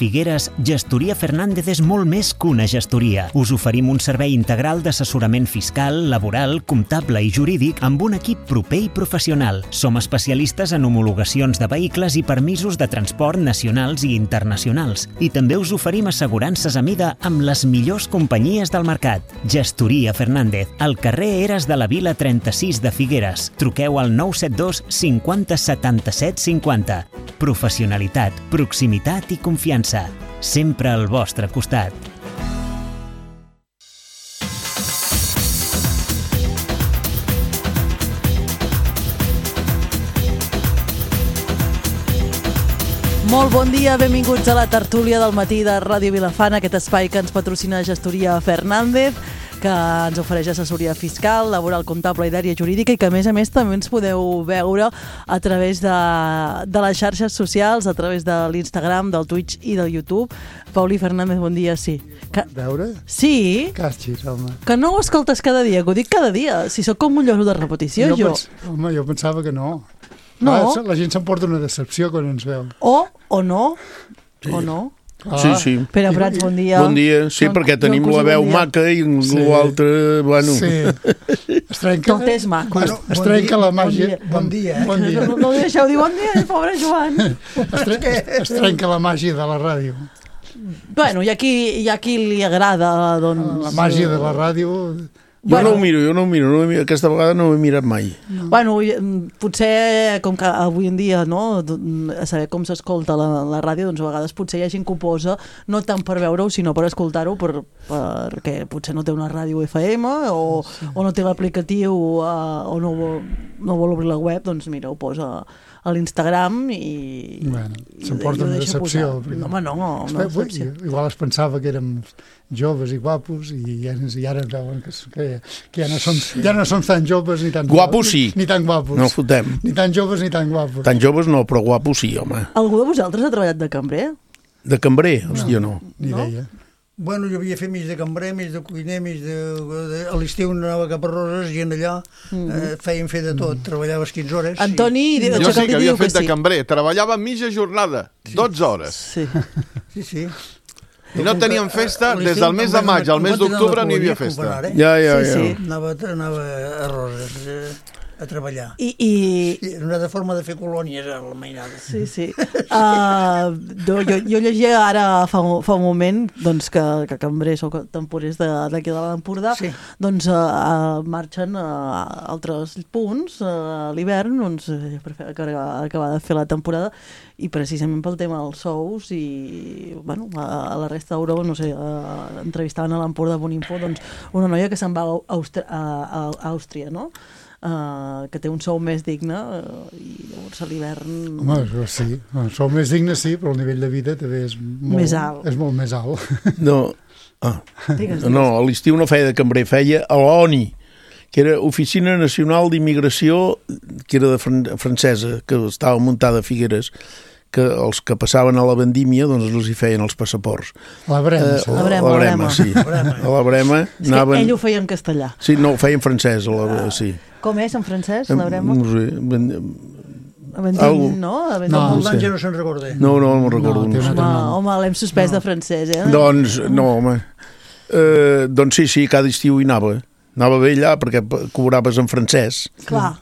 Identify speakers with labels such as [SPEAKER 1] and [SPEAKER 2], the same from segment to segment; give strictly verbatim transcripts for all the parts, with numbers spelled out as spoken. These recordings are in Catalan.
[SPEAKER 1] Figueres, Gestoria Fernández és molt més que una gestoria. Us oferim un servei integral d'assessorament fiscal, laboral, comptable i jurídic amb un equip proper i professional. Som especialistes en homologacions de vehicles i permisos de transport nacionals i internacionals. I també us oferim assegurances a mida amb les millors companyies del mercat. Gestoria Fernández, al carrer Eres de la Vila trenta-sis de Figueres. Truqueu al nou set dos cinquanta setanta-set cinquanta. Professionalitat, proximitat i confiança. Sempre al vostre costat.
[SPEAKER 2] Molt bon dia, benvinguts a la tertúlia del matí de Ràdio Vilafant, aquest espai que ens patrocina Gestoria Fernández, que ens ofereix assessoria fiscal, laboral, comptable i d'àrea jurídica i que, a més a més, també ens podeu veure a través de, de les xarxes socials, a través de l'Instagram, del Twitch i del YouTube. Pauli Fernández, bon dia, sí. Que...
[SPEAKER 3] Veure?
[SPEAKER 2] Sí?
[SPEAKER 3] Càsxis, home.
[SPEAKER 2] Que no ho escoltes cada dia, que ho dic cada dia. Si sóc com un lloro de repetició, jo.
[SPEAKER 3] jo. Pens... Home, jo pensava que no.
[SPEAKER 2] No?
[SPEAKER 3] Ah, la gent s'emporta una decepció quan ens veu.
[SPEAKER 2] O, o no, sí. o no.
[SPEAKER 4] Ah, sí, sí.
[SPEAKER 2] Pere Prats, bon dia.
[SPEAKER 4] Bon dia, sí,
[SPEAKER 2] Joan,
[SPEAKER 4] perquè tenim
[SPEAKER 2] Joan
[SPEAKER 4] la veu
[SPEAKER 2] bon
[SPEAKER 4] maca i sí. l'altre, bueno...
[SPEAKER 3] Sí. Es trenca,
[SPEAKER 2] Tot és maco.
[SPEAKER 3] Bueno, es bon trenca dia, la màgia.
[SPEAKER 2] Bon dia,
[SPEAKER 3] bon dia. Eh? Bon dia.
[SPEAKER 2] No, no li deixeu dir bon dia, pobre Joan.
[SPEAKER 3] Es, tre es trenca la màgia de la ràdio.
[SPEAKER 2] Bueno, hi ha qui, hi ha qui li agrada, doncs...
[SPEAKER 3] La màgia de la ràdio...
[SPEAKER 4] Jo bueno, no ho miro, jo no ho miro, no ho miro, aquesta vegada no ho he mirat mai.
[SPEAKER 2] No. Bueno, potser, com que avui en dia, no, a saber com s'escolta la, la ràdio, doncs a vegades potser hi ha gent que ho posa, no tant per veure-ho, sinó per escoltar-ho, per, perquè potser no té una ràdio F M o, sí. o no té l'aplicatiu o no, no vol obrir la web, doncs mira, ho posa a l'Instagram i...
[SPEAKER 3] Bueno, s'emporta una decepció.
[SPEAKER 2] No, home, no, no, no decepció.
[SPEAKER 3] Igual es pensava que érem joves i guapos i, ja, i ara veuen que, que, que ja, no som, ja no som tan joves ni tan
[SPEAKER 4] guapos sí.
[SPEAKER 3] Ni tan guapos.
[SPEAKER 4] No fotem.
[SPEAKER 3] Ni tan joves ni tan guapos.
[SPEAKER 4] Tan joves no, però guapos sí, home.
[SPEAKER 2] Algú de vosaltres ha treballat de cambrer?
[SPEAKER 4] De cambrer? Hòstia, no.
[SPEAKER 3] no. Ni idea. No?
[SPEAKER 5] Bueno, jo havia fet mig de cambrer, mig de cuiner, mig de... de a l'estiu anava cap a Roses, gent allà, mm-hmm. eh, feien fer de tot, mm-hmm. treballaves quinze hores.
[SPEAKER 2] Antoni,
[SPEAKER 6] i... jo sí que havia fet de
[SPEAKER 2] sí.
[SPEAKER 6] cambrer, treballava mitja jornada, sí. dotze hores.
[SPEAKER 2] Sí,
[SPEAKER 5] sí. sí.
[SPEAKER 6] I no teníem festa des del mes de maig al mes d'octubre no hi havia festa.
[SPEAKER 5] Eh?
[SPEAKER 4] Ja, ja, ja.
[SPEAKER 5] Sí, sí. Anava, anava a Roses... Eh... a treballar.
[SPEAKER 2] I, i...
[SPEAKER 5] Sí, era una forma de fer colònies a la mainada.
[SPEAKER 2] Sí, sí. Uh, jo, jo llegia ara fa, fa un moment doncs, que, que cambrers o temporers d'aquí de, de l'Empordà sí. doncs, uh, marxen a altres punts uh, a l'hivern doncs, per fer, acabar de fer la temporada i precisament pel tema dels sous i bueno, a, a la resta d'Europa, no sé, uh, entrevistaven a l'Empordà Boninfo doncs, una noia que se'n va a, Àustria, a, a Àustria, no? Uh, que té un sou més digne uh, i llavors a l'hivern...
[SPEAKER 3] Home, sí, un sou més digne sí, però el nivell de vida també és molt
[SPEAKER 2] més alt.
[SPEAKER 3] És molt més alt.
[SPEAKER 4] No, ah. digues, digues. No, a l'estiu no feia de cambrer, feia a l'O N I, que era Oficina Nacional d'Immigració, que era de fran francesa, que estava muntada a Figueres, que els que passaven a la vendímia doncs els hi feien els passaports.
[SPEAKER 3] La Brema,
[SPEAKER 4] uh, la Brema, la Brema, sí. A la Brema anaven...
[SPEAKER 2] Ell ho feia en castellà.
[SPEAKER 4] Sí, no, ho feia en francès, la... ah. sí.
[SPEAKER 2] Com és en francès, la Brema?
[SPEAKER 4] No sé, ben...
[SPEAKER 2] Vendín, Algo... no? Vendín,
[SPEAKER 5] no, molt d'anys ja no se'n recorda.
[SPEAKER 4] No, no, no me'n recordo. No,
[SPEAKER 2] home, home l'hem suspès no. de francès, eh?
[SPEAKER 4] Doncs, no, home. Uh, doncs sí, sí, cada estiu hi anava. Anava bé allà perquè cobraves en francès.
[SPEAKER 2] Clar,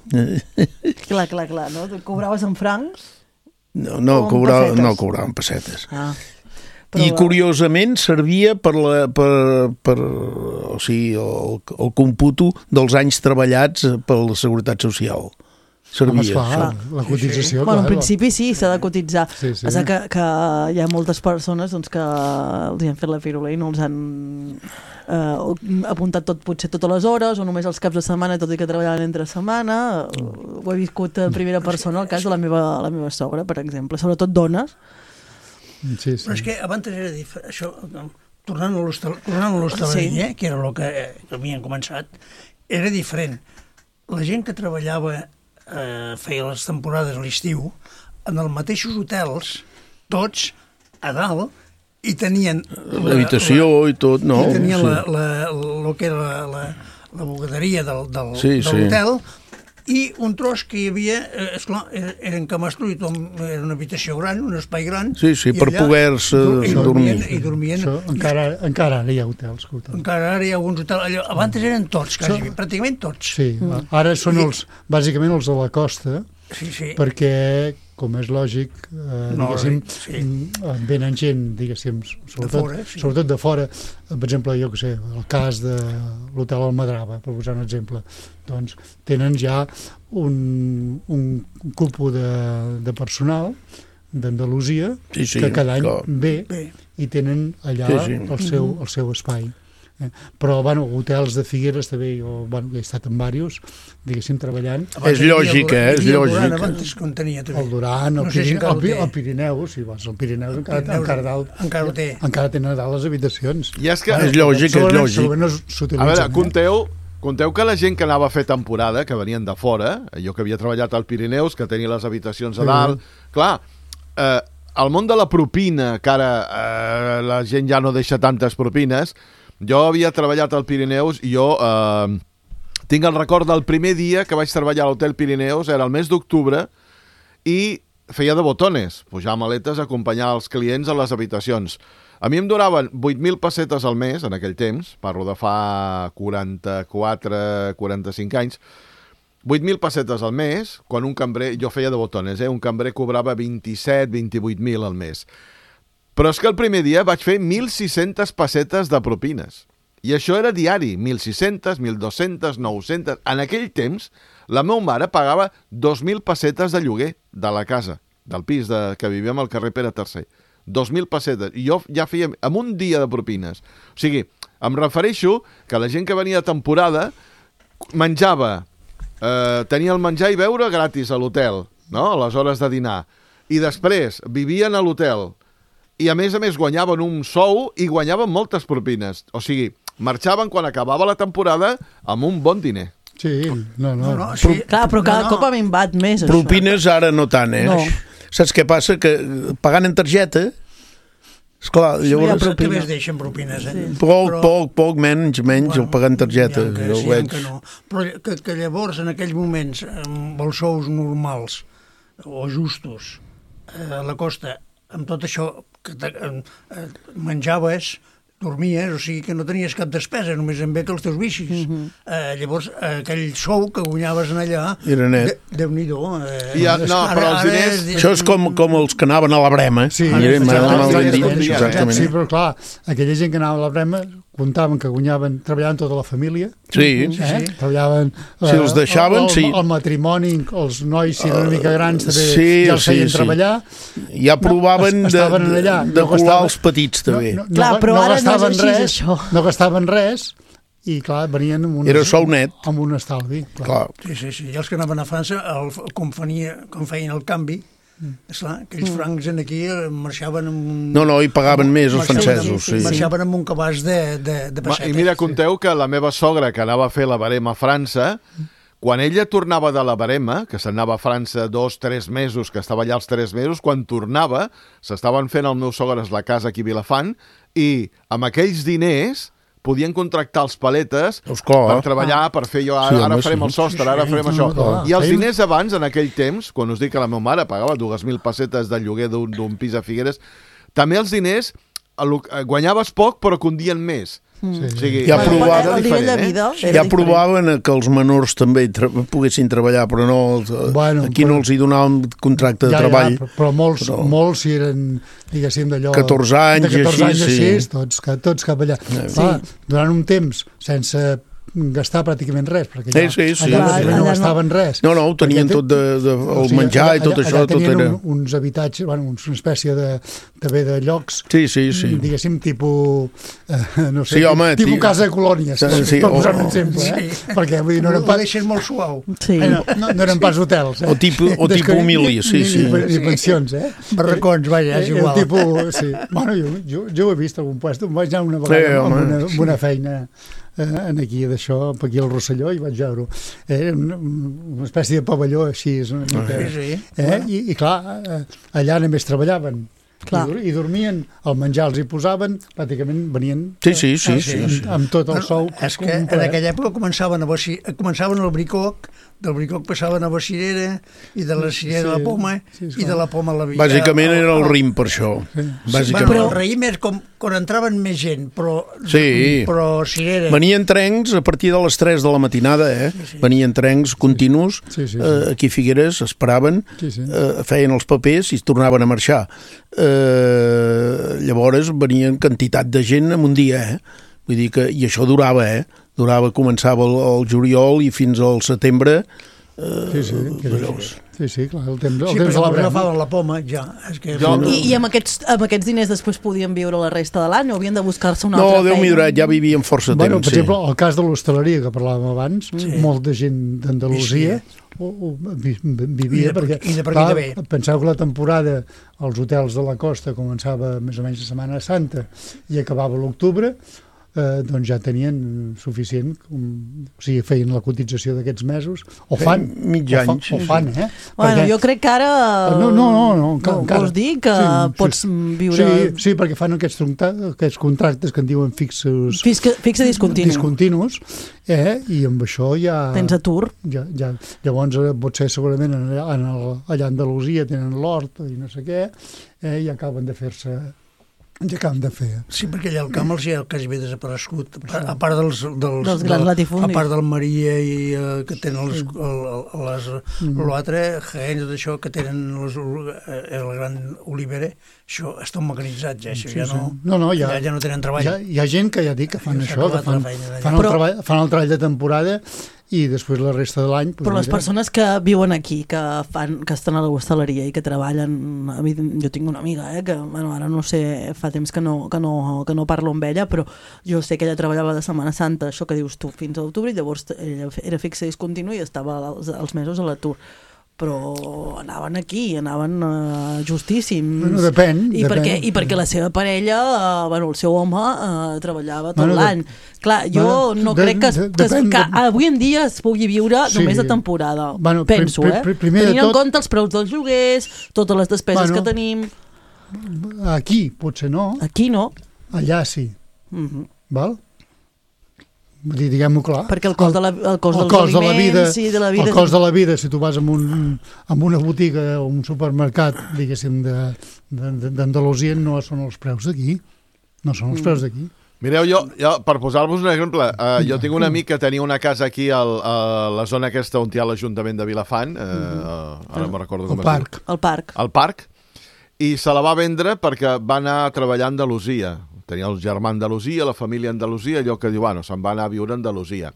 [SPEAKER 2] clar, clar, clar, no? Cobraves en francs?
[SPEAKER 4] No, no, cobrava, no cobraven pessetes.
[SPEAKER 2] Ah,
[SPEAKER 4] I curiosament servia per la, per, per, o sigui, el, el computo dels anys treballats per la Seguretat Social. Servia.
[SPEAKER 3] Home, esclar, la cotització. Sí, sí.
[SPEAKER 2] Bueno, en principi sí, s'ha de cotitzar.
[SPEAKER 3] Sí, sí.
[SPEAKER 2] Passa que, que hi ha moltes persones doncs, que els han fet la firula i no els han eh, apuntat tot, potser totes les hores o només els caps de setmana, tot i que treballaven entre setmana. Ho he viscut en primera persona, el cas de la meva, la meva sogra, per exemple. Sobretot dones.
[SPEAKER 3] Sí, sí.
[SPEAKER 5] Però és que abans era diferent. Això, tornant a l'hostaleria, sí. eh, que era el que, que havien començat, era diferent. La gent que treballava eh, feia les temporades a l'estiu en els mateixos hotels, tots a dalt, i tenien
[SPEAKER 4] l'habitació i tot, no?
[SPEAKER 5] I tenien
[SPEAKER 4] sí.
[SPEAKER 5] la, la, el que era la, la, la bugaderia del, del,
[SPEAKER 4] sí,
[SPEAKER 5] de l'hotel
[SPEAKER 4] sí.
[SPEAKER 5] i un tros que hi havia, eh, esclar, eren camastro i tot, era una habitació gran, un espai gran.
[SPEAKER 4] Sí, sí, per poder-se dormir.
[SPEAKER 5] I dormien.
[SPEAKER 3] Això, encara, encara ara hi ha hotels. hotels.
[SPEAKER 5] Encara ara hi ha alguns hotels. Allò, abans eren tots, quasi, Això... pràcticament tots.
[SPEAKER 3] Sí, mm. ara són els, bàsicament els de la costa,
[SPEAKER 5] sí, sí.
[SPEAKER 3] perquè, com és lògic, eh,
[SPEAKER 5] no,
[SPEAKER 3] diguéssim,
[SPEAKER 5] sí.
[SPEAKER 3] venen gent, diguéssim, sobretot
[SPEAKER 5] de fora, sí.
[SPEAKER 3] sobretot de fora. Per exemple, jo què sé, el cas de l'hotel Almadrava, per posar un exemple, doncs tenen ja un, un cupo de, de personal d'Andalusia sí, sí, que cada any clar. ve Bé. i tenen allà sí, sí. El, seu, el seu espai. Eh? Però, bueno, hotels de Figueres també, jo bueno, he estat en diversos, diguéssim, treballant.
[SPEAKER 4] Abans és lògic, eh? És lògic.
[SPEAKER 5] Abans contenia, també.
[SPEAKER 3] El Duran, el, no sé Pirineu, si el, el Pirineu, sí, vas, el Pirineu encara, Pirineu, encara, dalt,
[SPEAKER 5] encara ho té.
[SPEAKER 3] Encara tenen a dalt les habitacions.
[SPEAKER 6] I és que...
[SPEAKER 4] Ah, és lògic, és lògic.
[SPEAKER 3] No a
[SPEAKER 6] veure, compteu, compteu que la gent que anava a fer temporada, que venien de fora, jo que havia treballat al Pirineus, que tenia les habitacions a dalt, sí. clar, eh, el món de la propina, que ara eh, la gent ja no deixa tantes propines. Jo havia treballat al Pirineus i jo eh, tinc el record del primer dia que vaig treballar a l'Hotel Pirineus, era el mes d'octubre, i feia de botones, pujar maletes, acompanyar els clients a les habitacions. A mi em duraven vuit mil pessetes al mes, en aquell temps, parlo de fa quaranta-quatre quaranta-cinc anys, vuit mil pessetes al mes, quan un cambrer, jo feia de botones, eh? Un cambrer cobrava vint-i-set, vint-i-vuit mil al mes. Però és que el primer dia vaig fer mil sis-centes pessetes de propines. I això era diari, mil sis-centes, mil dos-centes, nou-centes... En aquell temps, la meva mare pagava dos mil pessetes de lloguer de la casa, del pis de, que vivíem al carrer Pere tercer. dos mil pessetes. I jo ja feia amb un dia de propines. O sigui, em refereixo que la gent que venia a temporada menjava, eh, tenia el menjar i beure gratis a l'hotel, no? A les hores de dinar. I després vivien a l'hotel. I a més a més guanyaven un sou i guanyaven moltes propines. O sigui, marxaven quan acabava la temporada amb un bon diner.
[SPEAKER 3] Sí, no, no. no, no
[SPEAKER 2] sí. Pro... Clar, però cada no, no. cop ha minvat més, això.
[SPEAKER 4] Propines ara no tant, eh? No. Saps què passa? Que pagant en targeta, esclar,
[SPEAKER 5] sí,
[SPEAKER 4] llavors...
[SPEAKER 5] Ja també es deixen propines, eh?
[SPEAKER 4] Sí. Poc, però... poc, poc, menys, menys, bueno, el pagant en targeta.
[SPEAKER 5] Que, sí, veig... que no. Però que, que llavors, en aquells moments, amb els sous normals o justos, a la costa, amb tot això que eh, menjaves, dormies, o sigui que no tenies cap despesa, només en vet els teus vicis. Uh-huh. eh, llavors, aquell sou que guanyaves en allà,
[SPEAKER 4] era net.
[SPEAKER 5] De, Déu-n'hi-do. Eh,
[SPEAKER 6] I, no, ara, però els diners...
[SPEAKER 4] Ara, això és com, com els que anaven a la Brema.
[SPEAKER 3] Sí,
[SPEAKER 4] ah, sí,
[SPEAKER 3] sí, exactament. Sí, però clar, aquella gent que anava a la Brema comptaven que guanyaven, treballaven tota la família.
[SPEAKER 4] Sí.
[SPEAKER 3] Eh? sí. Treballaven...
[SPEAKER 4] Si els deixaven,
[SPEAKER 3] el, el,
[SPEAKER 4] sí.
[SPEAKER 3] El matrimoni, els nois, si eren una mica grans, també
[SPEAKER 4] sí,
[SPEAKER 3] ja els feien
[SPEAKER 4] sí, sí.
[SPEAKER 3] treballar.
[SPEAKER 4] Ja provaven
[SPEAKER 3] no,
[SPEAKER 4] de,
[SPEAKER 3] allà,
[SPEAKER 4] de
[SPEAKER 3] no
[SPEAKER 4] colar
[SPEAKER 3] gastaven,
[SPEAKER 4] els petits, també.
[SPEAKER 3] No, no,
[SPEAKER 2] clar,
[SPEAKER 3] no,
[SPEAKER 2] però
[SPEAKER 3] no
[SPEAKER 2] ara no és així,
[SPEAKER 3] res,
[SPEAKER 2] això.
[SPEAKER 3] No gastaven res, i clar, venien amb un,
[SPEAKER 4] era sou net.
[SPEAKER 3] Amb un estalvi. Clar.
[SPEAKER 4] Clar.
[SPEAKER 5] Sí, sí, sí. I els que anaven a França, el, com, fenia, com feien el canvi, mm. esclar, aquells francs en aquí marxaven amb un...
[SPEAKER 4] No, no, hi pagaven més els francesos. Sí.
[SPEAKER 5] Marxaven amb un cabàs de, de, de pessetes.
[SPEAKER 6] I mira, conteu que la meva sogra, que anava a fer la barema a França, quan ella tornava de la barema, que s'anava a França dos, tres mesos, que estava allà els tres mesos, quan tornava, s'estaven fent els meus sogres la casa aquí a Vilafant, i amb aquells diners podien contractar els paletes
[SPEAKER 4] Esclar.
[SPEAKER 6] per treballar, per fer jo, ara, sí, ara farem el sostre, ara farem això. I els diners abans, en aquell temps, quan us dic que la meva mare pagava dues mil pessetes de lloguer d'un pis a Figueres, també els diners guanyaves poc però condien més.
[SPEAKER 2] Sí.
[SPEAKER 6] O sigui,
[SPEAKER 4] ja provaven,
[SPEAKER 2] eh?
[SPEAKER 4] ja provaven que els menors també tra poguessin treballar, però no, bueno, aquí però, no els hi donàvem contracte de
[SPEAKER 3] ja,
[SPEAKER 4] treball.
[SPEAKER 3] Ja, però molts, però... molts si eren, diguéssim, d'allò...
[SPEAKER 4] catorze anys,
[SPEAKER 3] de catorze anys
[SPEAKER 4] així,
[SPEAKER 3] així,
[SPEAKER 4] sí.
[SPEAKER 3] tots, tots cap allà.
[SPEAKER 4] Sí.
[SPEAKER 3] Va, durant un temps, sense gastar pràcticament res, perquè allà,
[SPEAKER 4] sí, sí, sí.
[SPEAKER 3] allà,
[SPEAKER 2] allà
[SPEAKER 3] no gastaven res.
[SPEAKER 4] No, no, ho tenien tot de, de, el o sigui, menjar allà, i tot això.
[SPEAKER 3] Allà tenien
[SPEAKER 4] tot era...
[SPEAKER 3] un, uns habitatges, bueno, una espècie de, també de llocs,
[SPEAKER 4] sí, sí, sí.
[SPEAKER 3] diguéssim, tipus, eh, no sé,
[SPEAKER 4] sí, home,
[SPEAKER 3] tipus
[SPEAKER 4] tio...
[SPEAKER 3] casa de colònies, sí,
[SPEAKER 4] sí,
[SPEAKER 3] per posar
[SPEAKER 4] oh,
[SPEAKER 3] un exemple,
[SPEAKER 5] sí.
[SPEAKER 3] eh? Perquè vull dir, no eren pas...
[SPEAKER 5] Ho deixes molt suau.
[SPEAKER 2] Sí.
[SPEAKER 3] Eh, no, no, no eren pas hotels, eh?
[SPEAKER 4] O tipus, o tipus humili, sí, sí.
[SPEAKER 3] Ni, ni pensions, eh?
[SPEAKER 5] Barracons, vaja, és igual.
[SPEAKER 3] El tipus, sí. Bueno, jo, jo, jo ho he vist a algun puesto, em vaig anar una vegada sí, amb, una, amb una feina en aquí d'això, aquí al Rosselló, i vaig veure-ho. Era una, una espècie de pavelló així, una mica,
[SPEAKER 5] sí, sí.
[SPEAKER 3] Eh? I, I clar, allà només treballaven I, I dormien, el menjar els hi posaven, pràcticament venien
[SPEAKER 4] sí, sí, sí,
[SPEAKER 3] amb,
[SPEAKER 4] sí,
[SPEAKER 3] sí. amb tot el sou.
[SPEAKER 5] És que en aquella època començaven, a boci... començaven el bricoc, del bricoc passaven a la cirera, i de la cirera sí, a la poma, sí, i de la poma a la villa.
[SPEAKER 4] Bàsicament era el raïm per això. Sí.
[SPEAKER 5] Bàsicament. Però el raïm és com quan entraven més gent, però,
[SPEAKER 4] sí.
[SPEAKER 5] però cirera.
[SPEAKER 4] Venien trencs a partir de les tres de la matinada, eh? Sí, sí. Venien trencs continus, sí, sí, sí. Eh, aquí a Figueres, esperaven, sí, sí. Eh, feien els papers i es tornaven a marxar. Eh, llavors venien quantitat de gent en un dia, eh? Vull dir que, i això durava, eh? Durava, començava el, el juliol i fins al setembre. Eh,
[SPEAKER 3] sí, sí, sí. Sí, sí, clar, el temps, el
[SPEAKER 5] sí,
[SPEAKER 3] temps de la brema.
[SPEAKER 5] agafaven la poma, ja. És que...
[SPEAKER 2] jo, I, I amb aquests, amb aquests diners després podien viure la resta de l'any o havien de buscar-se una
[SPEAKER 4] no,
[SPEAKER 2] altra feina?
[SPEAKER 4] No, Déu m'hi durat, ja vivien força
[SPEAKER 3] bueno,
[SPEAKER 4] temps.
[SPEAKER 3] Per exemple, sí. El cas de l'hostaleria que parlàvem abans, sí. Molta gent d'Andalusia sí. o, o, vivia, I de, perquè,
[SPEAKER 5] i de per
[SPEAKER 3] clar,
[SPEAKER 5] bé.
[SPEAKER 3] Penseu que la temporada als hotels de la costa començava més o menys la Setmana Santa i acabava l'octubre, Eh, doncs ja tenien suficient, um, o sigui, feien la cotització d'aquests mesos, o fan,
[SPEAKER 4] mig
[SPEAKER 3] o,
[SPEAKER 4] any,
[SPEAKER 3] fa, o fan, eh?
[SPEAKER 2] Bueno, perquè... jo crec que ara...
[SPEAKER 3] No, no, no, no encara, encara.
[SPEAKER 2] Vols dir que sí, pots
[SPEAKER 3] sí,
[SPEAKER 2] viure...
[SPEAKER 3] Sí, sí, perquè fan aquests, aquests contractes que en diuen fixos...
[SPEAKER 2] Fixe, fixe discontinu.
[SPEAKER 3] Discontinus, eh? I amb això ja...
[SPEAKER 2] Tens atur.
[SPEAKER 3] Ja, ja, llavors potser segurament en, en el, allà a Andalusia tenen l'hort i no sé què, eh? I acaben de fer-se... ja acaben de fer.
[SPEAKER 5] Sí, perquè allà al camp els hi ha quasi bé desaparegut, a part dels, dels,
[SPEAKER 2] dels grans latifundis.
[SPEAKER 5] A part del Maria i uh, que tenen els, el, les, mm. l'altre, Jaén, tot això, que tenen les, el gran olivera, això és tot mecanitzat ja, això sí, ja, no,
[SPEAKER 3] sí. no, no ja,
[SPEAKER 5] ja, ja no tenen treball.
[SPEAKER 3] Hi ha, hi ha gent que ja dic que fan això, que fan, fan, el Però... treball, fan el treball de temporada i després la resta de l'any...
[SPEAKER 2] Però les mira. persones que viuen aquí, que fan que estan a la hostaleria i que treballen... A mi, jo tinc una amiga, eh, que bueno, ara no sé, fa temps que no, que, no, que no parlo amb ella, però jo sé que ella treballava de Setmana Santa, això que dius tu, fins a l'octubre, i llavors ella era fixa i discontinu i estava els, els mesos a l'atur. Però anaven aquí, anaven uh, justíssims.
[SPEAKER 3] Bueno, depèn.
[SPEAKER 2] I,
[SPEAKER 3] depèn.
[SPEAKER 2] Perquè, I perquè la seva parella, uh, bueno, el seu home, uh, treballava tot bueno, l'any. Clar, jo bueno, no de, crec que, es, de, que, es, que de... avui en dia es pugui viure sí. només de temporada. Bueno, penso, pr pr pr eh? Tenint tot... en compte els preus dels lloguers, totes les despeses bueno, que tenim...
[SPEAKER 3] Aquí potser no.
[SPEAKER 2] Aquí no.
[SPEAKER 3] Allà sí.
[SPEAKER 2] Uh -huh.
[SPEAKER 3] Val? Diguem-ho clar.
[SPEAKER 2] Perquè el cost, de la, el cost
[SPEAKER 3] el
[SPEAKER 2] dels
[SPEAKER 3] cost
[SPEAKER 2] aliments
[SPEAKER 3] de la vida,
[SPEAKER 2] i de la vida...
[SPEAKER 3] El cost de la vida, si tu vas en, un, en una botiga o un supermercat, diguéssim, d'Andalusia, no són els preus d'aquí. No són els preus d'aquí.
[SPEAKER 6] Mireu, jo, jo per posar-vos un exemple, uh, jo tinc un amic que tenia una casa aquí al, a la zona aquesta on hi ha l'Ajuntament de Vilafant, uh, uh, ara me'n recordo com
[SPEAKER 3] es diu.
[SPEAKER 2] El parc.
[SPEAKER 6] El parc. I se la va vendre perquè va anar a treballar a Andalusia. Tenia el germà a Andalusia, la família a Andalusia, allò que diu, bueno, se'n va anar a viure a Andalusia.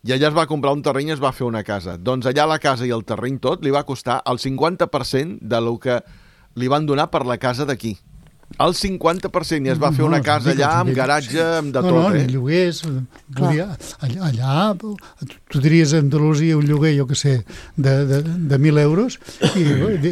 [SPEAKER 6] I allà es va comprar un terreny i es va fer una casa. Doncs allà la casa i el terreny tot li va costar el cinquanta per cent del que li van donar per la casa d'aquí. El cinquanta per cent, i es va fer una casa allà amb garatge, amb de tot,
[SPEAKER 3] no, no,
[SPEAKER 6] eh?
[SPEAKER 3] No, lloguers, podia, allà, allà tu diries a Andalusia un lloguer, jo què sé, de, de, de mil euros, i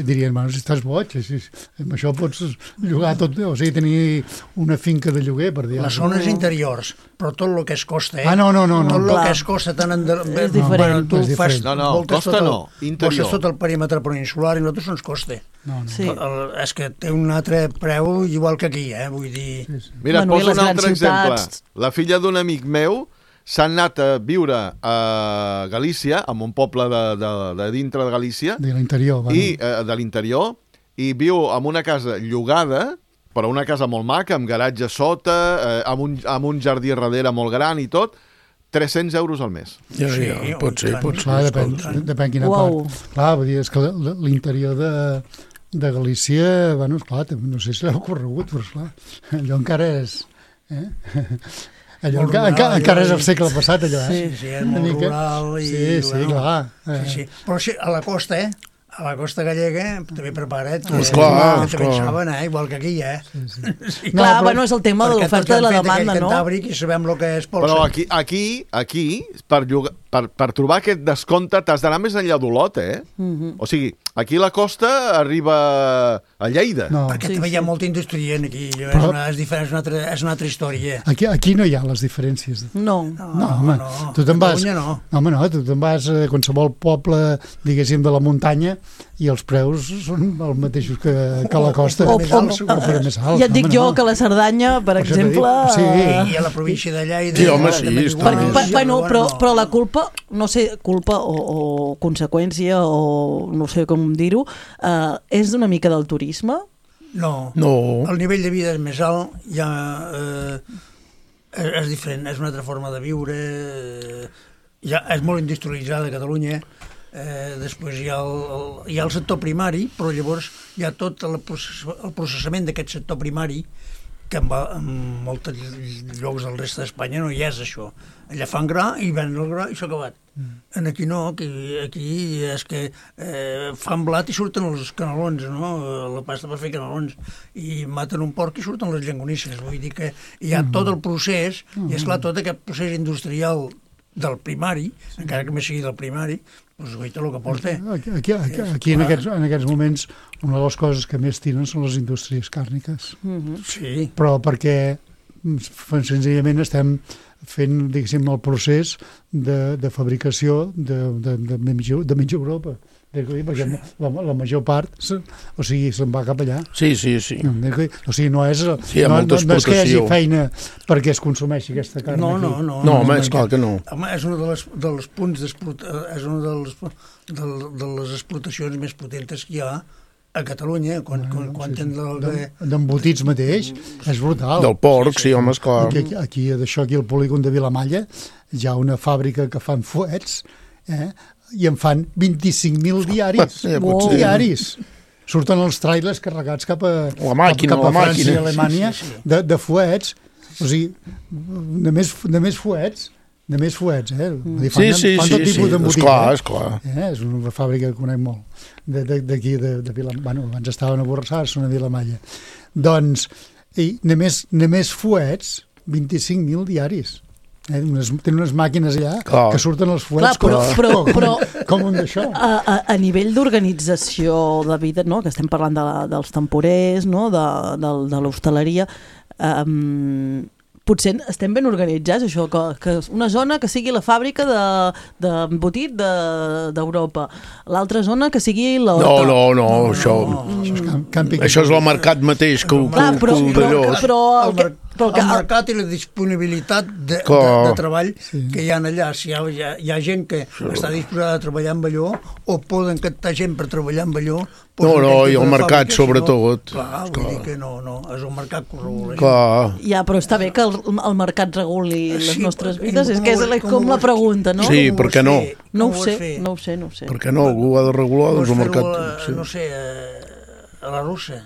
[SPEAKER 3] dirien, bueno, si estàs boig, si, amb això pots llogar tot, o sigui, tenir una finca de lloguer, per dir.
[SPEAKER 5] Les zones interiors, però tot el que es costa, eh?
[SPEAKER 3] Ah, no, no, no.
[SPEAKER 5] Tot
[SPEAKER 3] no.
[SPEAKER 5] el que es costa tant en...
[SPEAKER 2] És diferent.
[SPEAKER 5] Tu fas,
[SPEAKER 6] no, no, costa
[SPEAKER 5] el,
[SPEAKER 6] no, interior.
[SPEAKER 5] Voltes tot el perímetre peninsular i nosaltres no ens costa.
[SPEAKER 3] No, no.
[SPEAKER 2] Sí.
[SPEAKER 5] El, és que té un altre preu igual que aquí, eh? Vull dir...
[SPEAKER 3] Sí, sí.
[SPEAKER 6] Mira, et
[SPEAKER 2] bueno,
[SPEAKER 6] poso un altre exemple.
[SPEAKER 2] Ciutats...
[SPEAKER 6] La filla d'un amic meu s'ha anat a viure a Galícia, en un poble de, de, de dintre de Galícia,
[SPEAKER 3] de l'interior, bueno.
[SPEAKER 6] i eh, de l'interior, i viu en una casa llogada, però una casa molt maca, amb garatge sota, eh, amb, un, amb un jardí darrere molt gran i tot, tres-cents euros al mes.
[SPEAKER 4] Ja, sí, ja, pot ser, pot ser.
[SPEAKER 3] Clar, depèn, depèn quina
[SPEAKER 2] wow.
[SPEAKER 3] part. Clar, vull dir, és que l'interior de, de Galícia, bueno, esclar, no sé si l'heu corregut, però esclar, allò encara és... Eh? Allò encara, encara, encara és el segle passat, allò,
[SPEAKER 5] eh? Sí, sí, és molt mica... rural i...
[SPEAKER 3] Sí, sí, bueno, clar.
[SPEAKER 5] Eh. Sí, sí. Però sí, a la costa, eh? A la costa gallega també prepara't, que
[SPEAKER 4] esclar,
[SPEAKER 5] també saben, eh? Igual que aquí, eh?
[SPEAKER 3] Sí, sí.
[SPEAKER 2] Sí. No, clar, però, bueno, és el tema de l'oferta i la demanda, no?
[SPEAKER 5] Cantàbric i sabem el que és polsa.
[SPEAKER 6] Però aquí, aquí, aquí per, llogar, per, per trobar aquest descompte t'has d'anar més enllà d'Olot, eh? Mm-hmm. O sigui, aquí la costa arriba a Lleida.
[SPEAKER 5] No. Perquè sí, també hi ha molta indústria aquí, però... és, una, és, diferent, és, una altra, és una altra història.
[SPEAKER 3] Aquí, aquí no hi ha les diferències.
[SPEAKER 2] No.
[SPEAKER 3] No, no home, no. Tu te'n vas... No. no, home, no, tu te'n vas a qualsevol poble, diguéssim, de la muntanya i els preus són els mateixos que, que a la costa.
[SPEAKER 2] O, o, o, o, o més alt, ja et dic home, jo no. que la Cerdanya, per Això exemple...
[SPEAKER 5] Sí. I a la província de Lleida...
[SPEAKER 4] Sí, home, sí.
[SPEAKER 2] Per, per, bueno, però, però la culpa, no sé, culpa o, o conseqüència o no sé com dir-ho, eh, és una mica del turisme?
[SPEAKER 5] No.
[SPEAKER 4] no.
[SPEAKER 5] El nivell de vida és més alt, ja, eh, és, és diferent, és una altra forma de viure, eh, ja és molt industrialitzada a Catalunya, eh, després hi ha, el, el, hi ha el sector primari, però llavors hi ha tot el, process, el processament d'aquest sector primari, que en, va, en molts llocs del reste d'Espanya no hi és això. Allà fan gra i venen el gra i s'ha acabat. Mm. Aquí no, aquí, aquí és que eh, fan blat i surten els canelons, no? La pasta per fer canelons, i maten un porc i surten les llangonisses. Vull dir que hi ha mm. tot el procés, mm. i esclar, tot aquest procés industrial del primari, encara que més sigui del primari, doncs guaita el que porta.
[SPEAKER 3] Aquí, aquí, aquí, aquí en, aquests, en aquests moments una de les coses que més tiren són les indústries càrniques.
[SPEAKER 5] Mm-hmm. Sí.
[SPEAKER 3] Però perquè senzillament estem fent, diguéssim, el procés de, de fabricació de, de, de, de mitja Europa. Perquè la, la major part, o sigui, se'n va cap allà.
[SPEAKER 4] Sí, sí, sí.
[SPEAKER 3] O sigui, no és,
[SPEAKER 4] sí,
[SPEAKER 3] no, no, no és que hi hagi feina perquè es consumeixi aquesta carn
[SPEAKER 5] no,
[SPEAKER 3] aquí.
[SPEAKER 5] No, no,
[SPEAKER 4] no. No, home, és clar que no.
[SPEAKER 5] Home, és una de les, dels punts d'explotació, és una de les, de, de les explotacions més potentes que hi ha a Catalunya, quan, quan, quan
[SPEAKER 3] sí, sí.
[SPEAKER 5] El...
[SPEAKER 3] D'embotits mateix, és brutal.
[SPEAKER 4] Del porc, sí, sí, home, esclar.
[SPEAKER 3] Aquí, aquí, d'això, aquí al polígon de Vilamalla, hi ha una fàbrica que fan fuets, eh? I en fan vint-i-cinc mil diaris.
[SPEAKER 4] Ja,
[SPEAKER 3] wow. Diaris. Surten els trailers carregats cap a,
[SPEAKER 4] la màquina,
[SPEAKER 3] cap, cap a
[SPEAKER 4] la
[SPEAKER 3] França
[SPEAKER 4] màquina.
[SPEAKER 3] i Alemanya sí, sí. De, de fuets. O sigui, de més, de més fuets, de més fuets, eh?
[SPEAKER 4] Mm.
[SPEAKER 3] Fan,
[SPEAKER 4] sí, sí,
[SPEAKER 3] fan
[SPEAKER 4] sí,
[SPEAKER 3] tot tipus
[SPEAKER 4] sí.
[SPEAKER 3] d'embotit.
[SPEAKER 4] Esclar, esclar.
[SPEAKER 3] Eh? És una fàbrica que conec molt. D'aquí, de, de, de Vilamalla. Bueno, abans estaven a Borrassà, són a Vilamalla. Doncs, i només, només fuets, vint-i-cinc mil diaris. Eh, unes, tenen unes màquines allà clar. Que surten els fuets.
[SPEAKER 2] Clar, però,
[SPEAKER 3] com,
[SPEAKER 2] però,
[SPEAKER 3] com,
[SPEAKER 2] però,
[SPEAKER 3] com un d'això.
[SPEAKER 2] A, a, a nivell d'organització de vida, no? Que estem parlant de la, dels temporers, no? de, de, de l'hostaleria, um, potser estem ben organitzats, això, que, que una zona que sigui la fàbrica d'embotit de, d'Europa, de, l'altra zona que sigui l'horta.
[SPEAKER 4] No, no, no, no, això,
[SPEAKER 3] no. Això, és camp, camping.
[SPEAKER 4] Això és el mercat mateix que,
[SPEAKER 2] clar,
[SPEAKER 4] que,
[SPEAKER 2] però,
[SPEAKER 4] que
[SPEAKER 2] però, però, però el,
[SPEAKER 5] el,
[SPEAKER 2] però
[SPEAKER 5] el mercat i la disponibilitat de, de, de treball sí. que hi ha allà. Si hi ha, hi ha, hi ha gent que sí. està disposada a treballar amb allò, o poden captar gent per treballar amb allò.
[SPEAKER 4] No, no, i el mercat sobretot.
[SPEAKER 5] No, clar, vull dir que no, no, és un mercat que ho regula.
[SPEAKER 4] Clar.
[SPEAKER 2] Ja, però està bé que el, el mercat reguli les sí, nostres vides, és que és la, com, com la pregunta, no?
[SPEAKER 4] Sí, per què no?
[SPEAKER 2] No ho sé, no ho sé, no ho sé.
[SPEAKER 4] Per què no? Algú ha de regular doncs, el mercat.
[SPEAKER 5] A, sí. No sé, a la russa.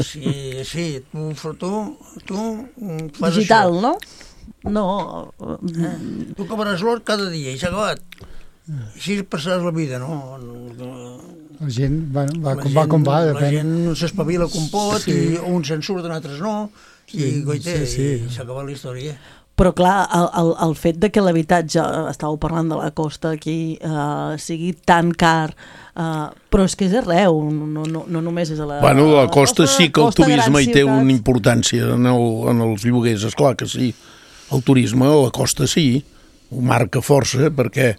[SPEAKER 5] Sí, sí, tu, tu, tu fas
[SPEAKER 2] digital,
[SPEAKER 5] això.
[SPEAKER 2] No? No.
[SPEAKER 5] Eh? Tu cobraràs l'or cada dia i s'ha acabat. Així passaràs la vida, no?
[SPEAKER 3] La gent, bueno, va,
[SPEAKER 5] la
[SPEAKER 3] com
[SPEAKER 5] gent,
[SPEAKER 3] va com va,
[SPEAKER 5] depèn. La gent s'espavila com pot, sí. I uns se'n surten, altres no, i sí, goite, sí, sí. I s'ha acabat la història.
[SPEAKER 2] Però clar, el, el, el fet de que l'habitatge, estàveu parlant de la costa aquí, eh, sigui tan car, eh, però és que és arreu, no, no, no només és a la...
[SPEAKER 4] Bueno, la costa, la costa sí que el turisme hi té
[SPEAKER 2] ciutats.
[SPEAKER 4] Una importància en, el, en els lloguers, esclar que sí. El turisme a la costa sí, ho marca força, perquè,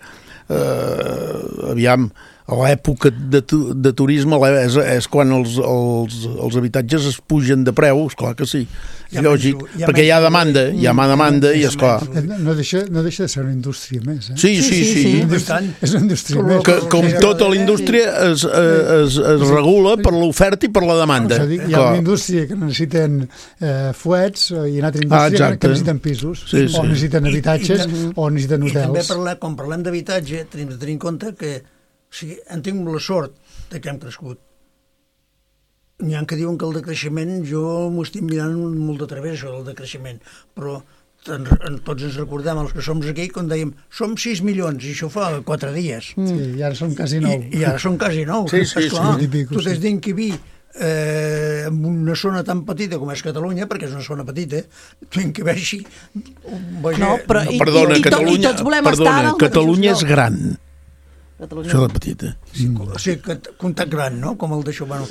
[SPEAKER 4] eh, aviam, a l'època de, de turisme és, és quan els, els, els habitatges es pugen de preu, esclar que sí. És lògic, menys, perquè menys, hi ha demanda, hi ha mà demanda i esclar.
[SPEAKER 3] No deixa, no deixa de ser una indústria més, eh?
[SPEAKER 4] Sí, sí, sí. sí.
[SPEAKER 3] sí. És una indústria més.
[SPEAKER 4] Que, com tota la indústria es, es, es regula per l'oferta i per la demanda.
[SPEAKER 3] O sigui, hi ha una indústria que necessiten eh, fuets i una altra indústria ah, que necessiten pisos, sí, sí. O necessiten habitatges, I, i, o necessiten hotels. I
[SPEAKER 5] també parlar, quan parlem d'habitatge tenim de tenir en compte que o sigui, hem tingut la sort de que hem crescut. N'hi ha que diuen que el decreixement, jo m'ho estic mirant molt de través, això del decreixement, però en, en, tots ens recordem, els que som aquí, quan dèiem, som sis milions, i això fa quatre dies.
[SPEAKER 3] Sí, i ara som quasi nou.
[SPEAKER 5] I, i ara som quasi nou.
[SPEAKER 4] Sí, sí,
[SPEAKER 5] Esclar,
[SPEAKER 3] sí.
[SPEAKER 5] Tu t'has d'inquibir eh, en una zona tan petita com és Catalunya, perquè és una zona petita, fent que vegi...
[SPEAKER 2] No, però i,
[SPEAKER 4] perdona,
[SPEAKER 2] i, i,
[SPEAKER 4] Catalunya,
[SPEAKER 2] i tots volem
[SPEAKER 4] perdona,
[SPEAKER 2] estar en els
[SPEAKER 4] Catalunya és
[SPEAKER 2] mateixos
[SPEAKER 4] gran.
[SPEAKER 2] Catalunya.
[SPEAKER 4] Això de petita.
[SPEAKER 5] Sí, o sigui, que comptat gran, no? Com el d'això. Bueno,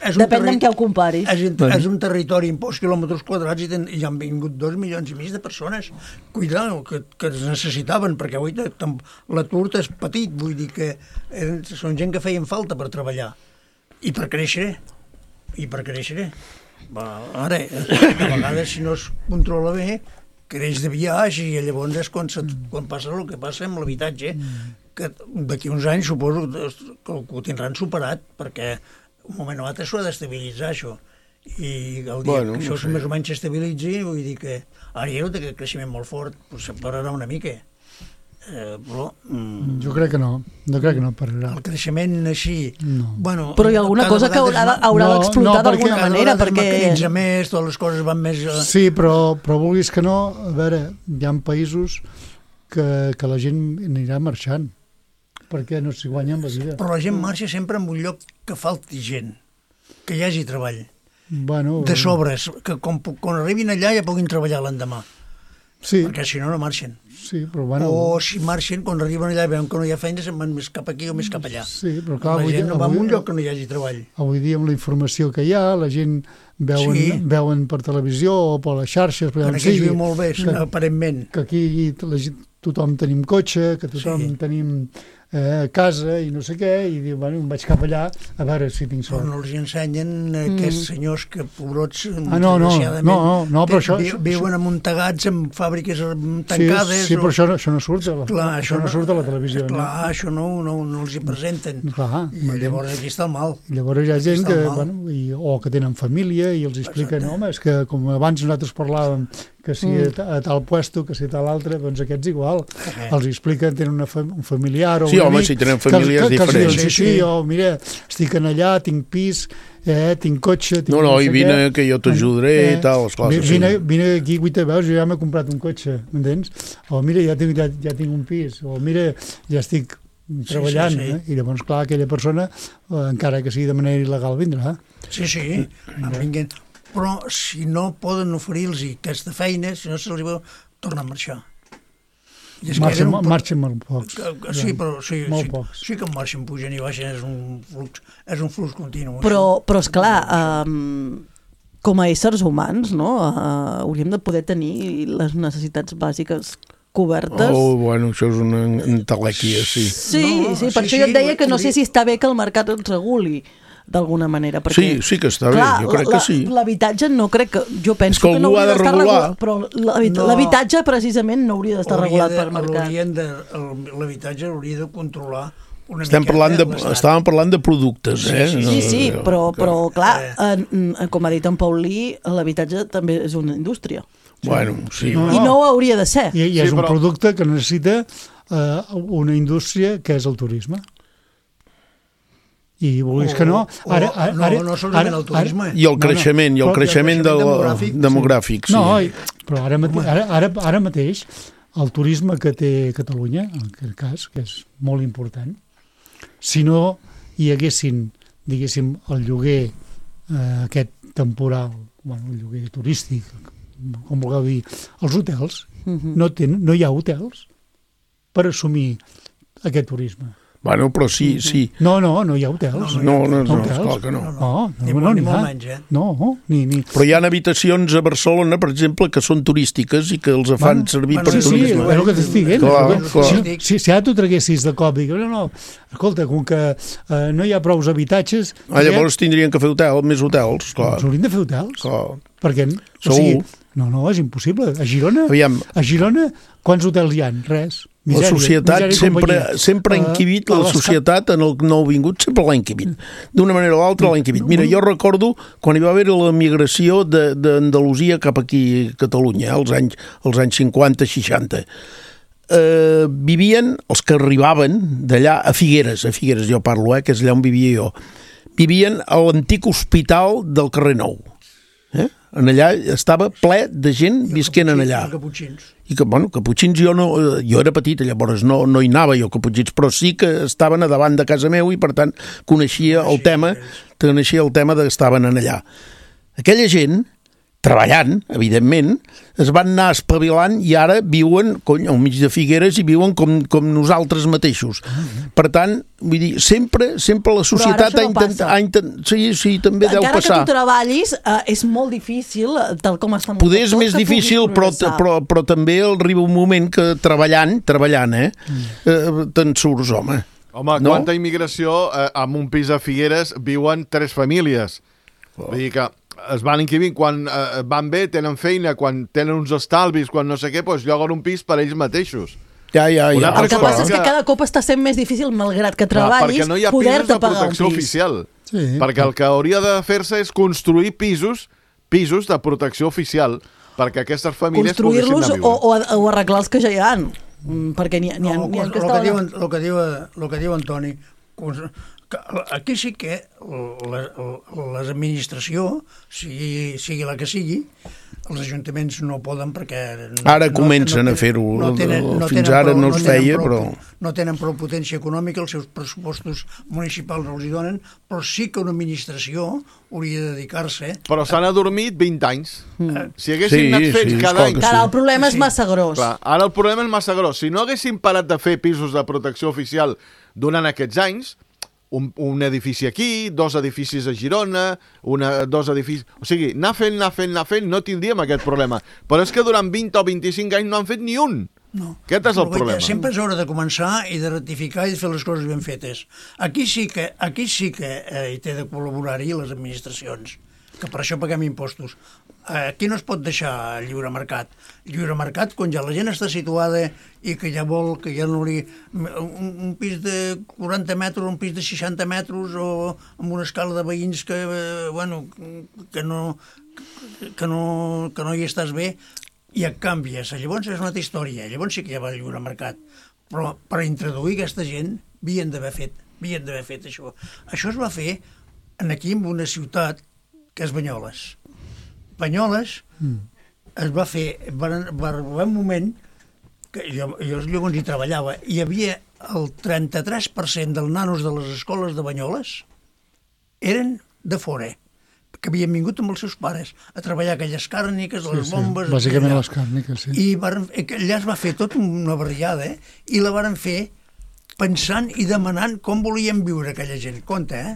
[SPEAKER 5] és
[SPEAKER 2] depèn terri... amb què ho comparis.
[SPEAKER 5] És, és un territori amb pocs quilòmetres quadrats i, ten, i han vingut dos milions i mig de persones. Cuidado, que, que es necessitaven, perquè avui l'atur és petit, vull dir que eren, són gent que feien falta per treballar. I per créixer. I per créixer. Va, ara, de vegades, si no es controla bé, creix de viatge i llavors és quan, se, quan passa el que passa amb l'habitatge, que d'aquí uns anys suposo que ho tindran superat, perquè un moment o altre s'ho ha d'estabilitzar, això. I el dia bueno, que això no sé. més o menys s'estabilitzi, vull dir que ara ja no té aquest creixement molt fort, però se'n pararà una mica. Eh, però, mm,
[SPEAKER 3] jo crec que no, no crec que no pararà.
[SPEAKER 5] El creixement així...
[SPEAKER 3] No.
[SPEAKER 2] Bueno, però hi ha alguna cosa que haurà, haurà no, d'explotar no, d'alguna manera, perquè...
[SPEAKER 5] Cada vegada es més, totes les coses van més...
[SPEAKER 3] Sí, però, però vulguis que no, a veure, hi ha països que, que la gent anirà marxant, perquè no s'hi guanyen la vida.
[SPEAKER 5] Però la gent marxa sempre en un lloc que falti gent, que hi hagi treball.
[SPEAKER 3] Bueno,
[SPEAKER 5] de sobres, que quan, quan arribin allà ja puguin treballar l'endemà.
[SPEAKER 3] Sí.
[SPEAKER 5] Perquè si no, no marxen.
[SPEAKER 3] Sí, però bueno...
[SPEAKER 5] O si marxen, quan arriben allà i veuen que no hi ha feina, se'n van més cap aquí o més cap allà.
[SPEAKER 3] Sí, però clar...
[SPEAKER 5] La gent
[SPEAKER 3] dia,
[SPEAKER 5] no va
[SPEAKER 3] avui,
[SPEAKER 5] en un lloc que no hi hagi treball.
[SPEAKER 3] Avui dia, amb la informació que hi ha, la gent veuen, sí. veuen per televisió o per les xarxes... Per
[SPEAKER 5] aquí es viu molt bé, que, aparentment.
[SPEAKER 3] Que aquí la gent, tothom tenim cotxe, que tothom sí. tenim... a casa i no sé què, i diu, bueno, em vaig cap allà a veure si tinc sort.
[SPEAKER 5] Però no els ensenyen mm. aquests senyors que, pobrots,
[SPEAKER 3] ah, no, no, no, no, no, però això...
[SPEAKER 5] Vi, viuen amuntegats en fàbriques tancades...
[SPEAKER 3] Sí, sí però o... això, no, això no surt a la,
[SPEAKER 5] clar,
[SPEAKER 3] això no surt a la televisió.
[SPEAKER 5] Clar,
[SPEAKER 3] no?
[SPEAKER 5] això no, no, no els hi presenten.
[SPEAKER 3] Clar,
[SPEAKER 5] I llavors aquí està el mal.
[SPEAKER 3] Llavors hi ha gent que, bueno, i, o que tenen família i els expliquen, home, és que com abans nosaltres parlàvem que si mm. a tal puesto, que si a tal altre, doncs aquests igual. Eh. Els expliquen, tenen una fam un familiar o
[SPEAKER 4] sí,
[SPEAKER 3] un
[SPEAKER 4] home,
[SPEAKER 3] amic,
[SPEAKER 4] si tenen famílies
[SPEAKER 3] que, que,
[SPEAKER 4] diferents.
[SPEAKER 3] Que sí, sí, sí, o mira, estic en allà, tinc pis, eh, tinc cotxe... Tinc
[SPEAKER 4] no, no,
[SPEAKER 3] no
[SPEAKER 4] i vine què. que jo t'ajudaré eh, i tal, esclar.
[SPEAKER 3] Vine, sí. vine aquí, guita, veus, jo ja m'he comprat un cotxe, m'entens? O mira, ja tinc, ja, ja tinc un pis, o mira, ja estic treballant, sí, sí, sí. Eh? I llavors, clar, aquella persona, eh, encara que sigui de manera il·legal, vindrà.
[SPEAKER 5] Sí, sí, vinguin. Però si no poden oferir-los aquesta feina, si no se'ls veu, tornen a marxar.
[SPEAKER 3] Marxen, un... marxen molt pocs.
[SPEAKER 5] Sí, però sí,
[SPEAKER 3] molt
[SPEAKER 5] sí,
[SPEAKER 3] pocs.
[SPEAKER 5] sí que marxen, pugen i baixen, és un flux, és un flux continu.
[SPEAKER 2] Però, però esclar, um, com a éssers humans, no, uh, hauríem de poder tenir les necessitats bàsiques cobertes.
[SPEAKER 4] Oh, bueno, això és una entelèquia, sí.
[SPEAKER 2] Sí,
[SPEAKER 5] no,
[SPEAKER 2] sí, per
[SPEAKER 5] sí,
[SPEAKER 2] això jo et deia
[SPEAKER 5] sí,
[SPEAKER 2] que no sé si està bé que el mercat ens reguli d'alguna manera. Perquè,
[SPEAKER 4] sí, sí que està
[SPEAKER 2] clar,
[SPEAKER 4] bé, jo crec
[SPEAKER 2] la,
[SPEAKER 4] que sí.
[SPEAKER 2] L'habitatge no crec que... Jo penso
[SPEAKER 4] que,
[SPEAKER 2] que no hauria d'estar regulat, però
[SPEAKER 5] no,
[SPEAKER 2] l'habitatge precisament no hauria d'estar regulat per mercat.
[SPEAKER 5] L'habitatge hauria de controlar una
[SPEAKER 4] Estem parlant de, estàvem parlant de productes, eh?
[SPEAKER 2] Sí, sí, sí no, però, però clar, en, com ha dit en Paulí, l'habitatge també és una indústria.
[SPEAKER 4] Bueno, sí.
[SPEAKER 3] No,
[SPEAKER 2] I no ho hauria de ser.
[SPEAKER 3] I, i és
[SPEAKER 6] sí,
[SPEAKER 3] un
[SPEAKER 6] però...
[SPEAKER 3] producte que necessita uh, una indústria que és el turisme. I vulguis que no... Ara, ara,
[SPEAKER 5] no,
[SPEAKER 3] ara,
[SPEAKER 5] no solament el turisme.
[SPEAKER 4] I el creixement, no, no, i el creixement, el creixement demogràfic. demogràfic sí.
[SPEAKER 3] No, i, però ara, mate, ara, ara, ara mateix el turisme que té Catalunya, en aquest cas, que és molt important, si no hi haguessin, diguéssim, el lloguer eh, aquest temporal, bueno, el lloguer turístic, com vulgueu dir, els hotels, uh-huh. no, ten, no hi ha hotels per assumir aquest turisme.
[SPEAKER 4] Bueno, però sí, sí.
[SPEAKER 3] No, no, no hi ha hotels.
[SPEAKER 4] No, no, no, no,
[SPEAKER 3] hotels.
[SPEAKER 4] esclar que no.
[SPEAKER 3] No, no,
[SPEAKER 5] ni,
[SPEAKER 3] no, no,
[SPEAKER 5] ni
[SPEAKER 3] ni
[SPEAKER 5] molt menys, eh?
[SPEAKER 3] No, ni, ni...
[SPEAKER 4] Però hi ha habitacions a Barcelona, per exemple, que són turístiques i que els fan
[SPEAKER 3] bueno,
[SPEAKER 4] servir
[SPEAKER 3] bueno,
[SPEAKER 4] per
[SPEAKER 3] sí,
[SPEAKER 4] turisme.
[SPEAKER 3] Sí, és el que t'estic dient.
[SPEAKER 4] Clar, clar.
[SPEAKER 3] Si, si, si ara tu traguessis de cop i dius, no, no, escolta, com que uh, no hi ha prous habitatges...
[SPEAKER 4] Ah, llavors tindrien que fer hotel, més hotels, clar.
[SPEAKER 3] Doncs haurien de fer hotels.
[SPEAKER 4] Clar.
[SPEAKER 3] Perquè, o sigui, no, no, és impossible. A Girona,
[SPEAKER 4] Aviam.
[SPEAKER 3] a Girona, quants hotels hi ha? Res.
[SPEAKER 4] Misèria, la societat sempre, sempre ha inquibit, uh, la societat en el nouvingut sempre l'ha inquibit. D'una manera o l'altra l'ha inquibit. Mira, jo recordo quan hi va haver la migració d'Andalusia cap aquí a Catalunya, als anys, als anys cinquanta seixanta. Eh, vivien, els que arribaven d'allà a Figueres, a Figueres jo parlo, eh, que és allà on vivia jo, vivien a l'antic hospital del carrer Nou. Eh? En allà estava ple de gent visquent en allà.
[SPEAKER 5] I caputxins.
[SPEAKER 4] I que, bueno, caputxins jo no... Jo era petita, llavors no, no hi anava jo caputxins, però sí que estaven a davant de casa meu i, per tant, coneixia el tema que naixia el tema de que estaven allà. Aquella gent, treballant, evidentment, es van anar espavilant i ara viuen, cony, al mig de Figueres i viuen com, com nosaltres mateixos. Per tant, vull dir, sempre, sempre la societat ha intentat... No intent... Sí, sí, també
[SPEAKER 2] encara
[SPEAKER 4] deu passar.
[SPEAKER 2] Encara que tu treballis, eh, és molt difícil, tal com està...
[SPEAKER 4] Poder és més difícil, però, però, però també arriba un moment que treballant, treballant, eh, eh te'n surts, home.
[SPEAKER 6] Home, no? Quanta immigració, eh, amb un pis a Figueres viuen tres famílies. Oh. Vull dir que es van inquivint, quan eh, van bé, tenen feina, quan tenen uns estalvis, quan no sé què, doncs lloguen un pis per ells mateixos.
[SPEAKER 4] Ja, ja, ja.
[SPEAKER 2] El que passa és que cada cop està sent més difícil, malgrat que treballis,
[SPEAKER 6] perquè no hi ha pisos de protecció oficial. Sí. Perquè el que hauria de fer-se és construir pisos, pisos de protecció oficial, perquè aquestes famílies poguessin anar a viure.
[SPEAKER 2] O, o, o arreglar els que ja hi ha, perquè n'hi ha, n'hi ha,
[SPEAKER 5] no,
[SPEAKER 2] n'hi ha
[SPEAKER 5] que el, que diu, el, que diu, el que diu Antoni, aquí sí que l'administració, sigui, sigui la que sigui, els ajuntaments no poden perquè... No,
[SPEAKER 4] ara comencen no, no, a fer-ho, no tenen, no fins ara prou, no es feia,
[SPEAKER 5] no
[SPEAKER 4] però...
[SPEAKER 5] No tenen prou potència econòmica, els seus pressupostos municipals no els hi donen, però sí que una administració hauria de dedicar-se...
[SPEAKER 6] Però s'han adormit vint anys. Mm. Si haguessin sí, anat fets sí, cada any...
[SPEAKER 2] Ara el problema és massa gros.
[SPEAKER 6] Clar, ara el problema és massa gros. Si no haguessin parat de fer pisos de protecció oficial durant aquests anys, Un, un edifici aquí, dos edificis a Girona, una, dos edificis... O sigui, anar fent, anar fent, anar fent, no tindríem aquest problema. Però és que durant vint o vint-i-cinc anys no han fet ni un.
[SPEAKER 5] No.
[SPEAKER 6] Aquest és el problema.
[SPEAKER 5] Sempre és hora de començar i de rectificar i de fer les coses ben fetes. Aquí sí que, aquí sí que eh, hi té de col·laborar-hi les administracions, que per això paguem impostos. Aquí no es pot deixar lliure mercat. Lliure mercat, quan ja la gent està situada i que ja vol, que ja no li... Un, un pis de quaranta metres, un pis de seixanta metres, o amb una escala de veïns que, eh, bueno, que no, que, no, que no hi estàs bé, i et canvies. Llavors és una altra història. Llavors sí que ja va el lliure mercat. Però per introduir aquesta gent, havien d'haver fet, havien d'haver fet això. Això es va fer aquí en una ciutat que és Banyoles. Banyoles mm. es va fer, va, va arribar un moment que jo, jo llavors hi treballava, hi havia el trenta-tres per cent dels nanos de les escoles de Banyoles eren de fora, que havien vingut amb els seus pares a treballar aquelles càrniques, sí, les bombes...
[SPEAKER 3] Sí, bàsicament les càrniques, sí.
[SPEAKER 5] I varen, allà es va fer tot una barriada, eh? I la varen fer pensant i demanant com volien viure aquella gent. Compte, eh?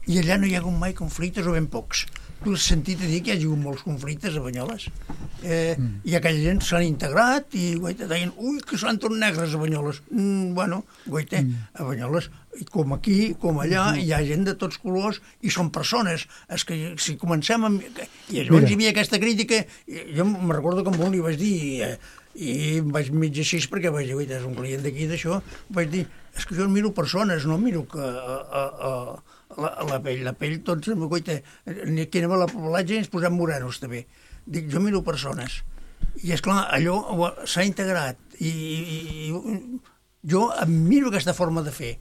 [SPEAKER 5] I allà no hi ha hagut mai conflictes o ben pocs. Tu has sentit a dir que hi ha hagut molts conflictes a Banyoles. Eh, mm. I aquella gent s'han integrat i guaita, deien, ui, que són tots negres a Banyoles. Mm, bueno, guaita, mm. a Banyoles, com aquí, com allà, mm. hi ha gent de tots colors i són persones. És que si comencem amb... I llavors hi havia aquesta crítica, jo me'n recordo que amb un li vaig dir, eh, i em vaig mig així perquè vaig dir, guaita, és un client d'aquí d'això, vaig dir, és que jo miro persones, no miro que... A, a, a, La, la pell, la pell, tots, guaita, aquí anem a la platja i ens posem morenos, també. Dic, jo miro persones. I, esclar, allò s'ha integrat. I, i, i jo miro aquesta forma de fer.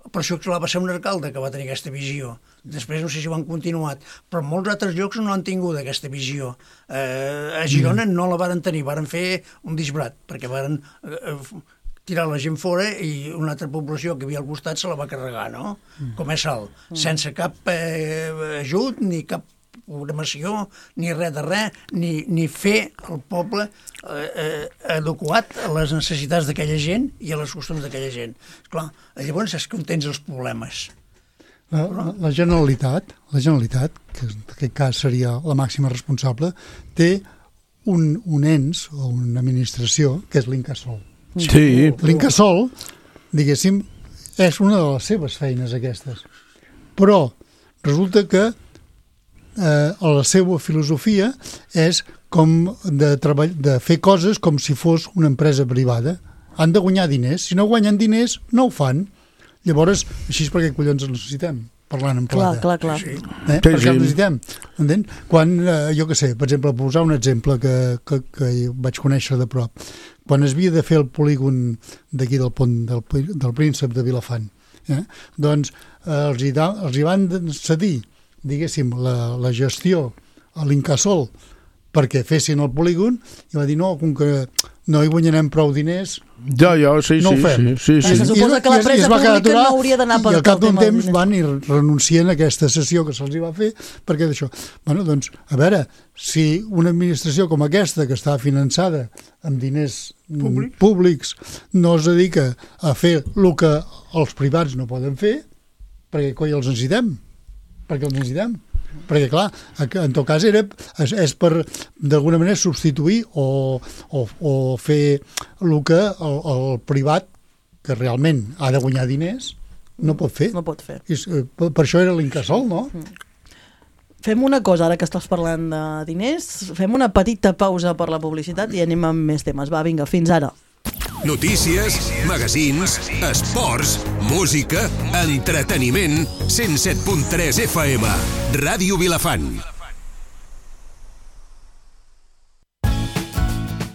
[SPEAKER 5] Per això, clar, va ser un alcalde que va tenir aquesta visió. Després no sé si ho han continuat, però en molts altres llocs no han tingut aquesta visió. Eh, a Girona no la varen tenir, varen fer un disbrat, perquè varen... Eh, tirar la gent fora i una altra població que havia al costat se la va carregar, no? Mm. Com és Salt, mm. sense cap eh, ajut, ni cap programació, ni res de res, ni, ni fer el poble eh, eh, adequat a les necessitats d'aquella gent i a les costums d'aquella gent. Esclar, llavors és que tens els problemes.
[SPEAKER 3] La, la, la Generalitat, la Generalitat, que en aquest cas seria la màxima responsable, té un, un ens o una administració que és l'Incasòl.
[SPEAKER 4] Sí.
[SPEAKER 3] L'Incasòl, diguéssim, és una de les seves feines aquestes. Però resulta que eh, la seva filosofia és com de, treball, de fer coses com si fos una empresa privada. Han de guanyar diners. Si no guanyen diners, no ho fan. Llavors, així és perquè collons els necessitem, parlant en plata.
[SPEAKER 2] Clar, clar, clar.
[SPEAKER 3] Sí. Eh? Per què els necessitem? Entén? Quan, eh, jo què sé, per exemple, posar un exemple que, que, que vaig conèixer de prop. Quan es havia de fer el polígon d'aquí del pont del, del Príncep de Vilafant, eh? doncs eh, els, hi da, els hi van cedir, diguéssim, la, la gestió a l'Incasòl perquè fessin el polígon i va dir no, com que no hi guanyarem prou diners,
[SPEAKER 4] ja, ja, sí,
[SPEAKER 3] no
[SPEAKER 4] sí,
[SPEAKER 3] ho fem.
[SPEAKER 4] Sí, sí, sí.
[SPEAKER 2] Se suposa que l'empresa pública no hauria d'anar per
[SPEAKER 3] i al cap d'un temps
[SPEAKER 2] diners.
[SPEAKER 3] van i renuncien a aquesta sessió que se'ls va fer perquè d'això. Bueno, doncs, a veure, si una administració com aquesta, que està finançada amb diners Públic. públics, no es dedica a fer el que els privats no poden fer, perquè coi els necessitem? Perquè els necessitem? Perquè, clar, en tot cas era, és, és per, d'alguna manera, substituir o, o, o fer el que el, el privat, que realment ha de guanyar diners, no pot fer.
[SPEAKER 2] No pot fer.
[SPEAKER 3] I, per, per això era l'Incasòl, no?
[SPEAKER 2] Fem una cosa, ara que estàs parlant de diners, fem una petita pausa per la publicitat i anem amb més temes. Va, vinga, fins ara.
[SPEAKER 7] Notícies, magazins, esports, música, entreteniment, cent set punt tres F M, Ràdio Vilafant.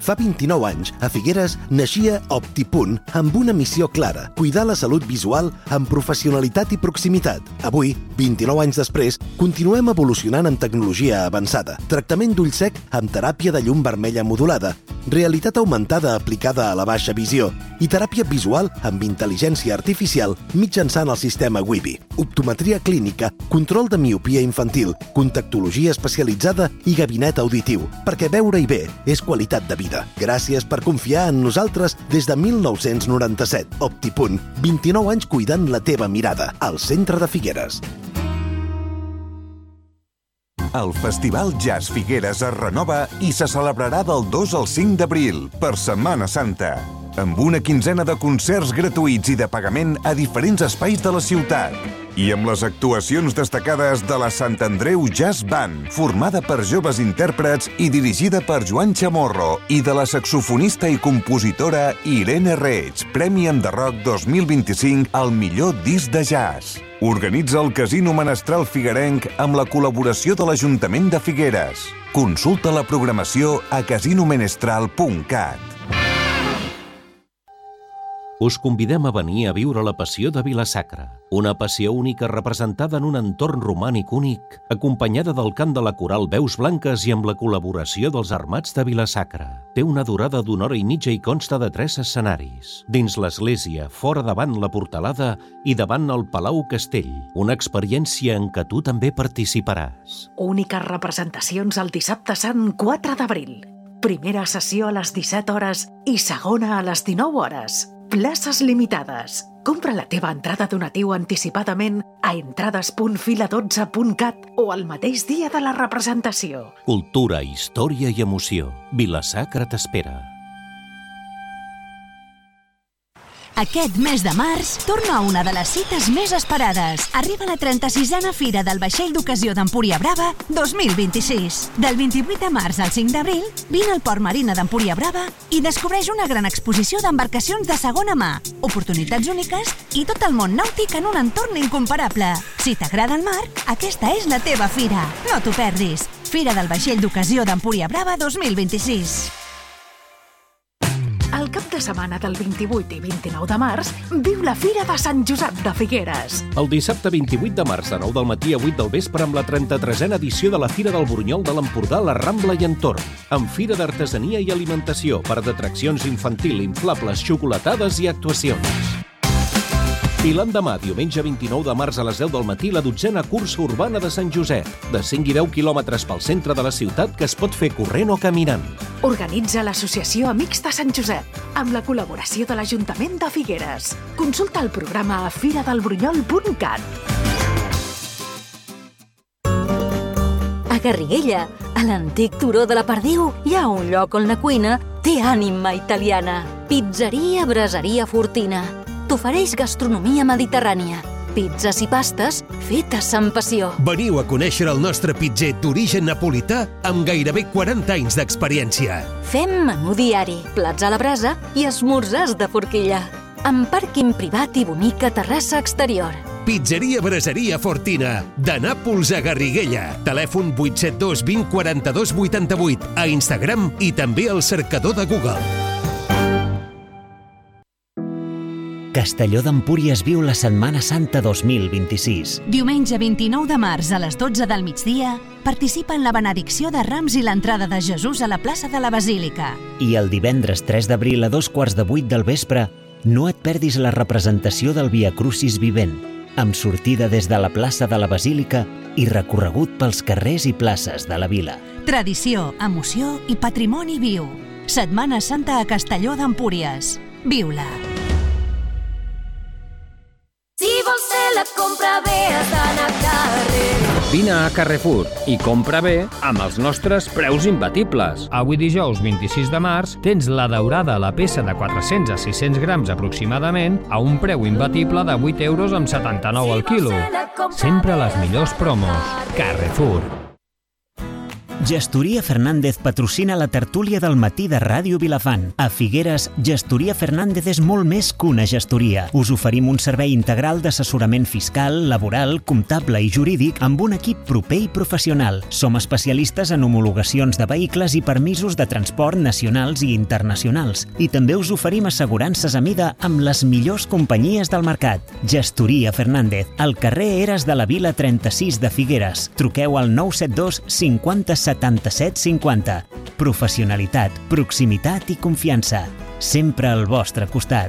[SPEAKER 8] Fa vint-i-nou anys, a Figueres, naixia Optipunt amb una missió clara, cuidar la salut visual amb professionalitat i proximitat. Avui, vint-i-nou anys després, continuem evolucionant en tecnologia avançada, tractament d'ull sec amb teràpia de llum vermella modulada, realitat augmentada aplicada a la baixa visió i teràpia visual amb intel·ligència artificial mitjançant el sistema Wibi, optometria clínica, control de miopia infantil, contactologia especialitzada i gabinet auditiu, perquè veure-hi bé és qualitat de vida. Gràcies per confiar en nosaltres des de mil nou-cents noranta-set. Optipunt, vint-i-nou anys cuidant la teva mirada, al centre de Figueres.
[SPEAKER 9] El Festival Jazz Figueres es renova i se celebrarà del dos al cinc d'abril, per Setmana Santa, amb una quinzena de concerts gratuïts i de pagament a diferents espais de la ciutat. I amb les actuacions destacades de la Sant Andreu Jazz Band, formada per joves intèrprets i dirigida per Joan Chamorro, i de la saxofonista i compositora Irene Reig, Premi Enderroc dos mil vint-i-cinc al millor disc de jazz. Organitza el Casino Menestral Figuerenc amb la col·laboració de l'Ajuntament de Figueres. Consulta la programació a casino menestral punt cat.
[SPEAKER 10] Us convidem a venir a viure la passió de Vila-sacra, una passió única representada en un entorn romànic únic, acompanyada del cant de la coral Veus Blanques i amb la col·laboració dels Armats de Vila-sacra. Té una durada d'una hora i mitja i consta de tres escenaris. Dins l'església, fora davant la portalada i davant el Palau Castell, una experiència en què tu també participaràs.
[SPEAKER 11] Úniques representacions el dissabte sant quatre d'abril. Primera sessió a les disset hores i segona a les dinou hores. Places limitades. Compra la teva entrada donatiu anticipadament a entrades punt fila dotze punt cat o el mateix dia de la representació.
[SPEAKER 10] Cultura, història i emoció. Vila-sacra t'espera.
[SPEAKER 12] Aquest mes de març torna una de les cites més esperades. Arriba la trenta-sisena Fira del Vaixell d'Ocasió d'Empúria Brava dos mil vint-i-sis. Del vint-i-vuit de març al cinc d'abril, vine al Port Marina d'Empúria Brava i descobreix una gran exposició d'embarcacions de segona mà, oportunitats úniques i tot el món nàutic en un entorn incomparable. Si t'agrada el mar, aquesta és la teva fira. No t'ho perdis. Fira del Vaixell d'Ocasió d'Empúria Brava dos mil vint-i-sis.
[SPEAKER 11] El cap de setmana del vint-i-vuit i vint-i-nou de març viu la Fira de Sant Josep de Figueres.
[SPEAKER 10] El dissabte vint-i-vuit de març de nou del matí a vuit del vespre amb la trenta-tresena edició de la Fira del Bornyol de l'Empordà, la Rambla i entorn, amb fira d'artesania i alimentació, per d'atraccions infantil, inflables, xocolatades i actuacions. I l'endemà, diumenge vint-i-nou de març a les deu del matí, la dotzena cursa urbana de Sant Josep, de cinc i deu quilòmetres pel centre de la ciutat que es pot fer corrent o caminant.
[SPEAKER 11] Organitza l'Associació Amics de Sant Josep, amb la col·laboració de l'Ajuntament de Figueres. Consulta el programa a fira del bronyol punt cat.
[SPEAKER 13] A Garriguella, a l'antic turó de la Perdiu, hi ha un lloc on la cuina té ànima italiana. Pizzeria Braseria Fortina. T'ofereix gastronomia mediterrània, pizzas i pastes fetes amb passió.
[SPEAKER 7] Veniu a conèixer el nostre pitzer d'origen napolità amb gairebé quaranta anys d'experiència.
[SPEAKER 13] Fem menú diari, plats a la brasa i esmorzars de forquilla. Amb pàrquing privat i bonica terrassa exterior.
[SPEAKER 7] Pizzeria Braseria Fortina, de Nàpols a Garriguella. Telèfon vuit set dos vint quaranta-dos vuitanta-vuit, a Instagram i també al cercador de Google.
[SPEAKER 1] Castelló d'Empúries viu la Setmana Santa dos mil vint-i-sis.
[SPEAKER 12] Diumenge vint-i-nou de març a les dotze del migdia participa en la benedicció de Rams i l'entrada de Jesús a la plaça de la Basílica.
[SPEAKER 1] I el divendres tres d'abril a dos quarts de vuit del vespre no et perdis la representació del Via Crucis vivent, amb sortida des de la plaça de la Basílica i recorregut pels carrers i places de la vila.
[SPEAKER 12] Tradició, emoció i patrimoni viu. Setmana Santa a Castelló d'Empúries. Viu-la!
[SPEAKER 14] Si vols fer la compra bé, has d'anar a carrer.
[SPEAKER 15] Vine a Carrefour i compra bé amb els nostres preus imbatibles. Avui dijous vint-i-sis de març tens la daurada a la peça de quatre-cents a sis-cents grams aproximadament a un preu imbatible de vuit euros amb setanta-nou al quilo. Sempre les millors promos. Carrefour.
[SPEAKER 1] Gestoria Fernández patrocina la tertúlia del matí de Ràdio Vilafant. A Figueres, Gestoria Fernández és molt més que una gestoria. Us oferim un servei integral d'assessorament fiscal, laboral, comptable i jurídic amb un equip proper i professional. Som especialistes en homologacions de vehicles i permisos de transport nacionals i internacionals. I també us oferim assegurances a mida amb les millors companyies del mercat. Gestoria Fernández, al carrer Eres de la Vila trenta-sis de Figueres. Truqueu al nou set dos cinquanta setanta-set cinquanta. Professionalitat, proximitat i confiança. Sempre al vostre costat.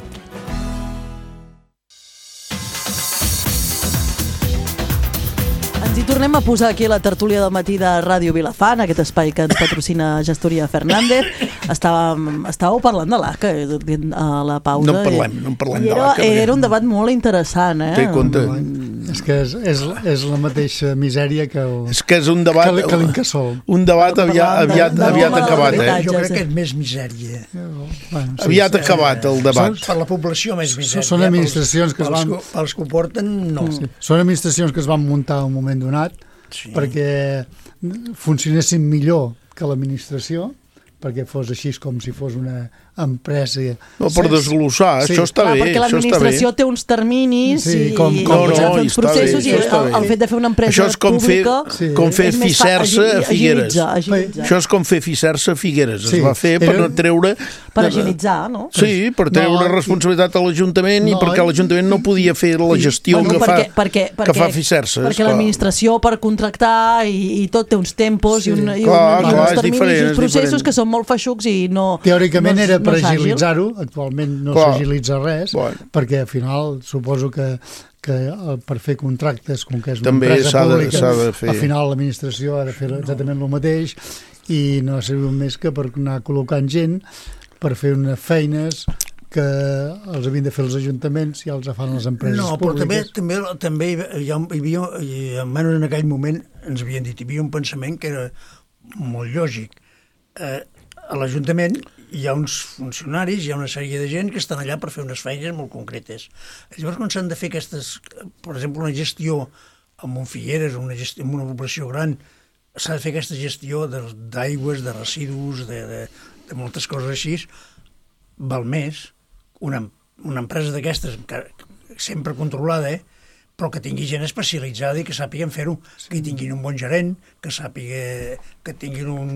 [SPEAKER 2] Ens hi tornem a posar aquí a la tertúlia del matí de Ràdio Vilafant, aquest espai que ens patrocina Gestoria Fernández. Estàvem, estàveu parlant de l'A C A a la pausa.
[SPEAKER 4] No en parlem, no en parlem de
[SPEAKER 2] era,
[SPEAKER 4] l'A C A.
[SPEAKER 2] Era un debat molt interessant, eh?
[SPEAKER 4] Té compte.
[SPEAKER 3] És que és, és, és la mateixa misèria que el,
[SPEAKER 4] és que és un debat,
[SPEAKER 3] que, que l'Incasòl.
[SPEAKER 4] Un debat aviat, aviat,
[SPEAKER 5] no,
[SPEAKER 4] aviat
[SPEAKER 5] no,
[SPEAKER 4] acabat, eh?
[SPEAKER 5] Jo crec que és més misèria.
[SPEAKER 3] Bueno, sí,
[SPEAKER 4] aviat
[SPEAKER 3] sí,
[SPEAKER 4] acabat el debat.
[SPEAKER 5] Per la població més misèria.
[SPEAKER 3] Són administracions que es van...
[SPEAKER 5] Pels, pels que ho porten, no.
[SPEAKER 3] Sí. Són administracions que es van muntar en un moment donat sí. perquè funcionessin millor que l'administració, perquè fos així com si fos una empresa...
[SPEAKER 4] No, per desglossar, sí. Això està
[SPEAKER 2] Clar,
[SPEAKER 4] bé.
[SPEAKER 2] Perquè l'administració té uns terminis
[SPEAKER 3] sí,
[SPEAKER 2] i,
[SPEAKER 3] com, com,
[SPEAKER 2] i no, no, uns processos
[SPEAKER 4] bé,
[SPEAKER 2] i el, el fet de fer una empresa
[SPEAKER 4] això és com
[SPEAKER 2] pública...
[SPEAKER 4] Fer, com fer Ficersa a Figueres.
[SPEAKER 2] Agilitza, agilitza.
[SPEAKER 4] Això és com fer Ficersa a Figueres.
[SPEAKER 3] Sí.
[SPEAKER 4] Es va fer per no treure...
[SPEAKER 2] Per agilitzar, no?
[SPEAKER 4] Sí, per treure no, responsabilitat a l'Ajuntament no, i perquè l'Ajuntament no podia fer la gestió
[SPEAKER 2] bueno,
[SPEAKER 4] que,
[SPEAKER 2] perquè,
[SPEAKER 4] fa,
[SPEAKER 2] perquè, perquè,
[SPEAKER 4] que fa Ficersa.
[SPEAKER 2] Perquè l'administració per contractar i, i tot té uns tempos sí. i, un, i,
[SPEAKER 4] clar,
[SPEAKER 2] un, i
[SPEAKER 4] clar,
[SPEAKER 2] uns terminis
[SPEAKER 4] diferent,
[SPEAKER 2] i uns processos
[SPEAKER 4] diferent.
[SPEAKER 2] que són molt feixucs i no...
[SPEAKER 3] Teòricament
[SPEAKER 2] no,
[SPEAKER 3] era per
[SPEAKER 2] no
[SPEAKER 3] agilitzar-ho, actualment no s'agilitza res, bueno. perquè al final suposo que, que per fer contractes, com que és una
[SPEAKER 4] també
[SPEAKER 3] empresa pública,
[SPEAKER 4] de, de fer.
[SPEAKER 3] al final l'administració ha de fer exactament el mateix i no ha servit més que per anar col·locant gent per fer unes feines que els havien de fer els ajuntaments i els fan les empreses
[SPEAKER 5] no, però
[SPEAKER 3] públiques.
[SPEAKER 5] també, també, també hi, ha, hi havia, i almenys en aquell moment ens havien dit, hi havia un pensament que era molt lògic. Eh, a l'Ajuntament hi ha uns funcionaris, hi ha una sèrie de gent que estan allà per fer unes feines molt concretes. Llavors, quan s'han de fer aquestes, per exemple, una gestió amb un Figueres, una gestió, amb una població gran, s'ha de fer aquesta gestió d'aigües, de residus, de, de, de moltes coses així, val més una, una empresa d'aquestes, sempre controlada, eh? però que tingui gent especialitzada i que sàpiguen fer-ho, sí. que tinguin un bon gerent, que sàpiga, que tinguin un,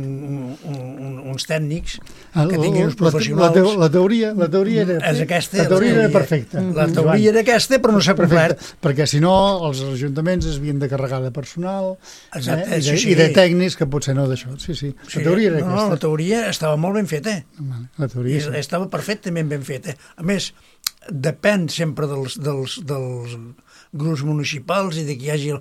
[SPEAKER 5] un, un, uns tècnics, que tinguin uns professionals.
[SPEAKER 3] La, la, teoria, la teoria era,
[SPEAKER 5] és aquesta,
[SPEAKER 3] la teoria era perfecta.
[SPEAKER 5] La teoria era aquesta, però no s'ha complert.
[SPEAKER 3] Perquè si no, els ajuntaments es havien de carregar de personal
[SPEAKER 5] Exacte,
[SPEAKER 3] eh, i, de,
[SPEAKER 5] sí, sí.
[SPEAKER 3] i de tècnics que potser no d'això. Sí, sí. La
[SPEAKER 5] sí,
[SPEAKER 3] teoria era
[SPEAKER 5] no,
[SPEAKER 3] aquesta.
[SPEAKER 5] No, la teoria estava molt ben feta.
[SPEAKER 3] La teoria, sí.
[SPEAKER 5] Estava perfectament ben feta. A més, depèn sempre dels, dels, dels grups municipals i de qui hi hagi...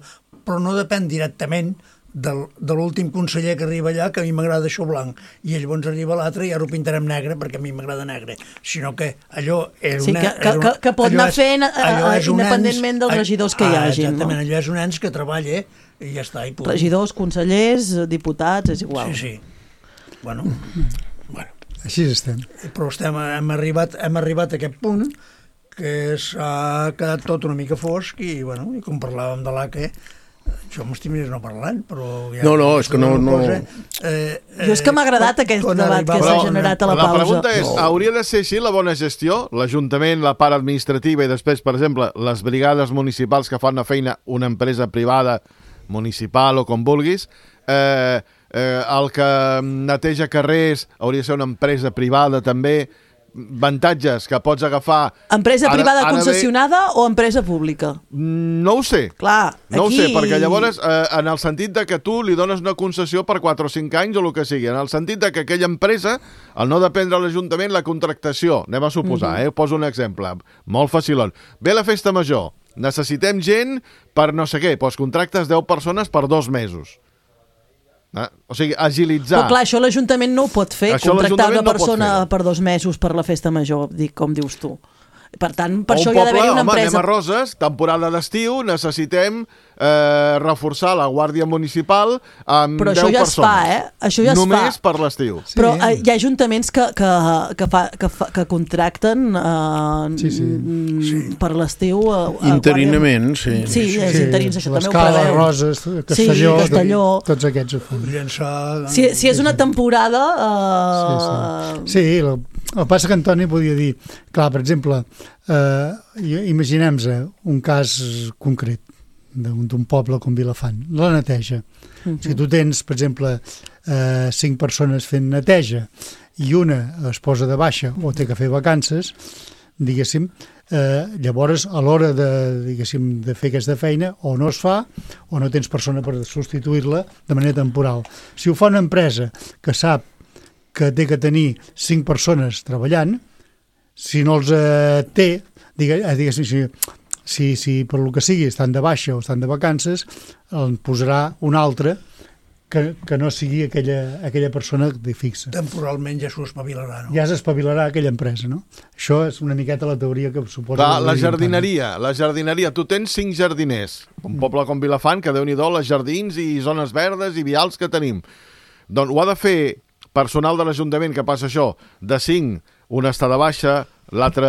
[SPEAKER 5] Però no depèn directament del, de l'últim conseller que arriba allà, que a mi m'agrada això blanc, i llavors arriba l'altre i ara ho pintarem negre perquè a mi m'agrada negre. Sinó que allò és
[SPEAKER 2] sí,
[SPEAKER 5] una...
[SPEAKER 2] Que, que, que, que pot anar fent a, a, independentment dels regidors que hi hagi.
[SPEAKER 5] Exactament,
[SPEAKER 2] no?
[SPEAKER 5] allò és un ens que treballa i ja està. I
[SPEAKER 2] regidors, consellers, diputats, és igual.
[SPEAKER 5] Sí, sí. Bueno, bueno.
[SPEAKER 3] Així estem.
[SPEAKER 5] Però estem, hem, arribat, hem arribat a aquest punt que s'ha quedat tot una mica fosc i, bueno, i com parlàvem de l'A C A, jo m'estimaria no parlant, però... Ja
[SPEAKER 4] no, no, és que no... no...
[SPEAKER 5] Cosa, eh, eh,
[SPEAKER 2] jo és que m'ha agradat aquest debat que s'ha generat a la,
[SPEAKER 6] la
[SPEAKER 2] pausa.
[SPEAKER 6] La pregunta és,
[SPEAKER 4] no.
[SPEAKER 6] hauria de ser així la bona gestió? L'Ajuntament, la part administrativa i després, per exemple, les brigades municipals que fan una feina, una empresa privada, municipal o com vulguis, eh, eh, el que neteja carrers hauria de ser una empresa privada també, avantatges que pots agafar...
[SPEAKER 2] Empresa privada ara, ara concessionada ve... o empresa pública?
[SPEAKER 6] No ho sé.
[SPEAKER 2] Clar,
[SPEAKER 6] no
[SPEAKER 2] aquí...
[SPEAKER 6] ho sé, perquè llavors, eh, en el sentit de que tu li dones una concessió per quatre o cinc anys o el que sigui, en el sentit de que aquella empresa, al no dependre de l'Ajuntament, la contractació, anem a suposar, mm-hmm. eh, poso un exemple, molt facilon. Ve la festa major, necessitem gent per no sé què, doncs contractes deu persones per dos mesos. Eh? O sigui, agilitzar...
[SPEAKER 2] Però clar, això l'Ajuntament no ho pot fer, això contractar una persona no per dos mesos per la festa major, dic, com dius tu. Per tant, per o això hi ha d'haver-hi una
[SPEAKER 6] home,
[SPEAKER 2] empresa...
[SPEAKER 6] Anem a Roses, temporada d'estiu, necessitem eh, reforçar la Guàrdia Municipal amb
[SPEAKER 2] Però
[SPEAKER 6] deu
[SPEAKER 2] això ja
[SPEAKER 6] persones.
[SPEAKER 2] Es fa, eh? Això ja es
[SPEAKER 6] Només
[SPEAKER 2] fa.
[SPEAKER 6] per l'estiu.
[SPEAKER 2] Sí. Però eh, hi ha ajuntaments que, que, que, fa, que, fa, que contracten eh, sí, sí. Sí. per l'estiu... Eh,
[SPEAKER 4] Interinament, sí.
[SPEAKER 2] Sí, sí, és interins, això també ho
[SPEAKER 3] preveu.
[SPEAKER 2] preveu.
[SPEAKER 3] Roses, Castelló,
[SPEAKER 2] sí, Castelló.
[SPEAKER 3] Tots aquests ho fan.
[SPEAKER 5] Llençar...
[SPEAKER 2] Si, si és una temporada... Eh...
[SPEAKER 3] Sí, sí. sí el, el que passa que Antoni podia dir... Clar, per exemple, eh, imaginem-nos un cas concret d'un poble com Vilafant, la neteja. Uh-huh. Si tu tens, per exemple, eh, cinc persones fent neteja i una es posa de baixa o té que fer vacances, diguéssim, eh, llavors a l'hora de, diguéssim, de fer aquesta feina o no es fa o no tens persona per substituir-la de manera temporal. Si ho fa una empresa que sap que té que tenir cinc persones treballant, si no els eh, té, diguéssim, si, si, si per lo que sigui estan de baixa o estan de vacances, en posarà un altre que, que no sigui aquella, aquella persona de fixa.
[SPEAKER 5] Temporalment ja s'ho espavilarà, no?
[SPEAKER 3] Ja s'espavilarà aquella empresa, no? Això és una miqueta la teoria que suposa...
[SPEAKER 6] Clar, la jardineria, la jardineria. Tu tens cinc jardiners. Un poble com Vilafant, que Déu-n'hi-do, les jardins i zones verdes i vials que tenim. Doncs ho ha de fer personal de l'Ajuntament que passa això, de cinc, un està de baixa, l'altre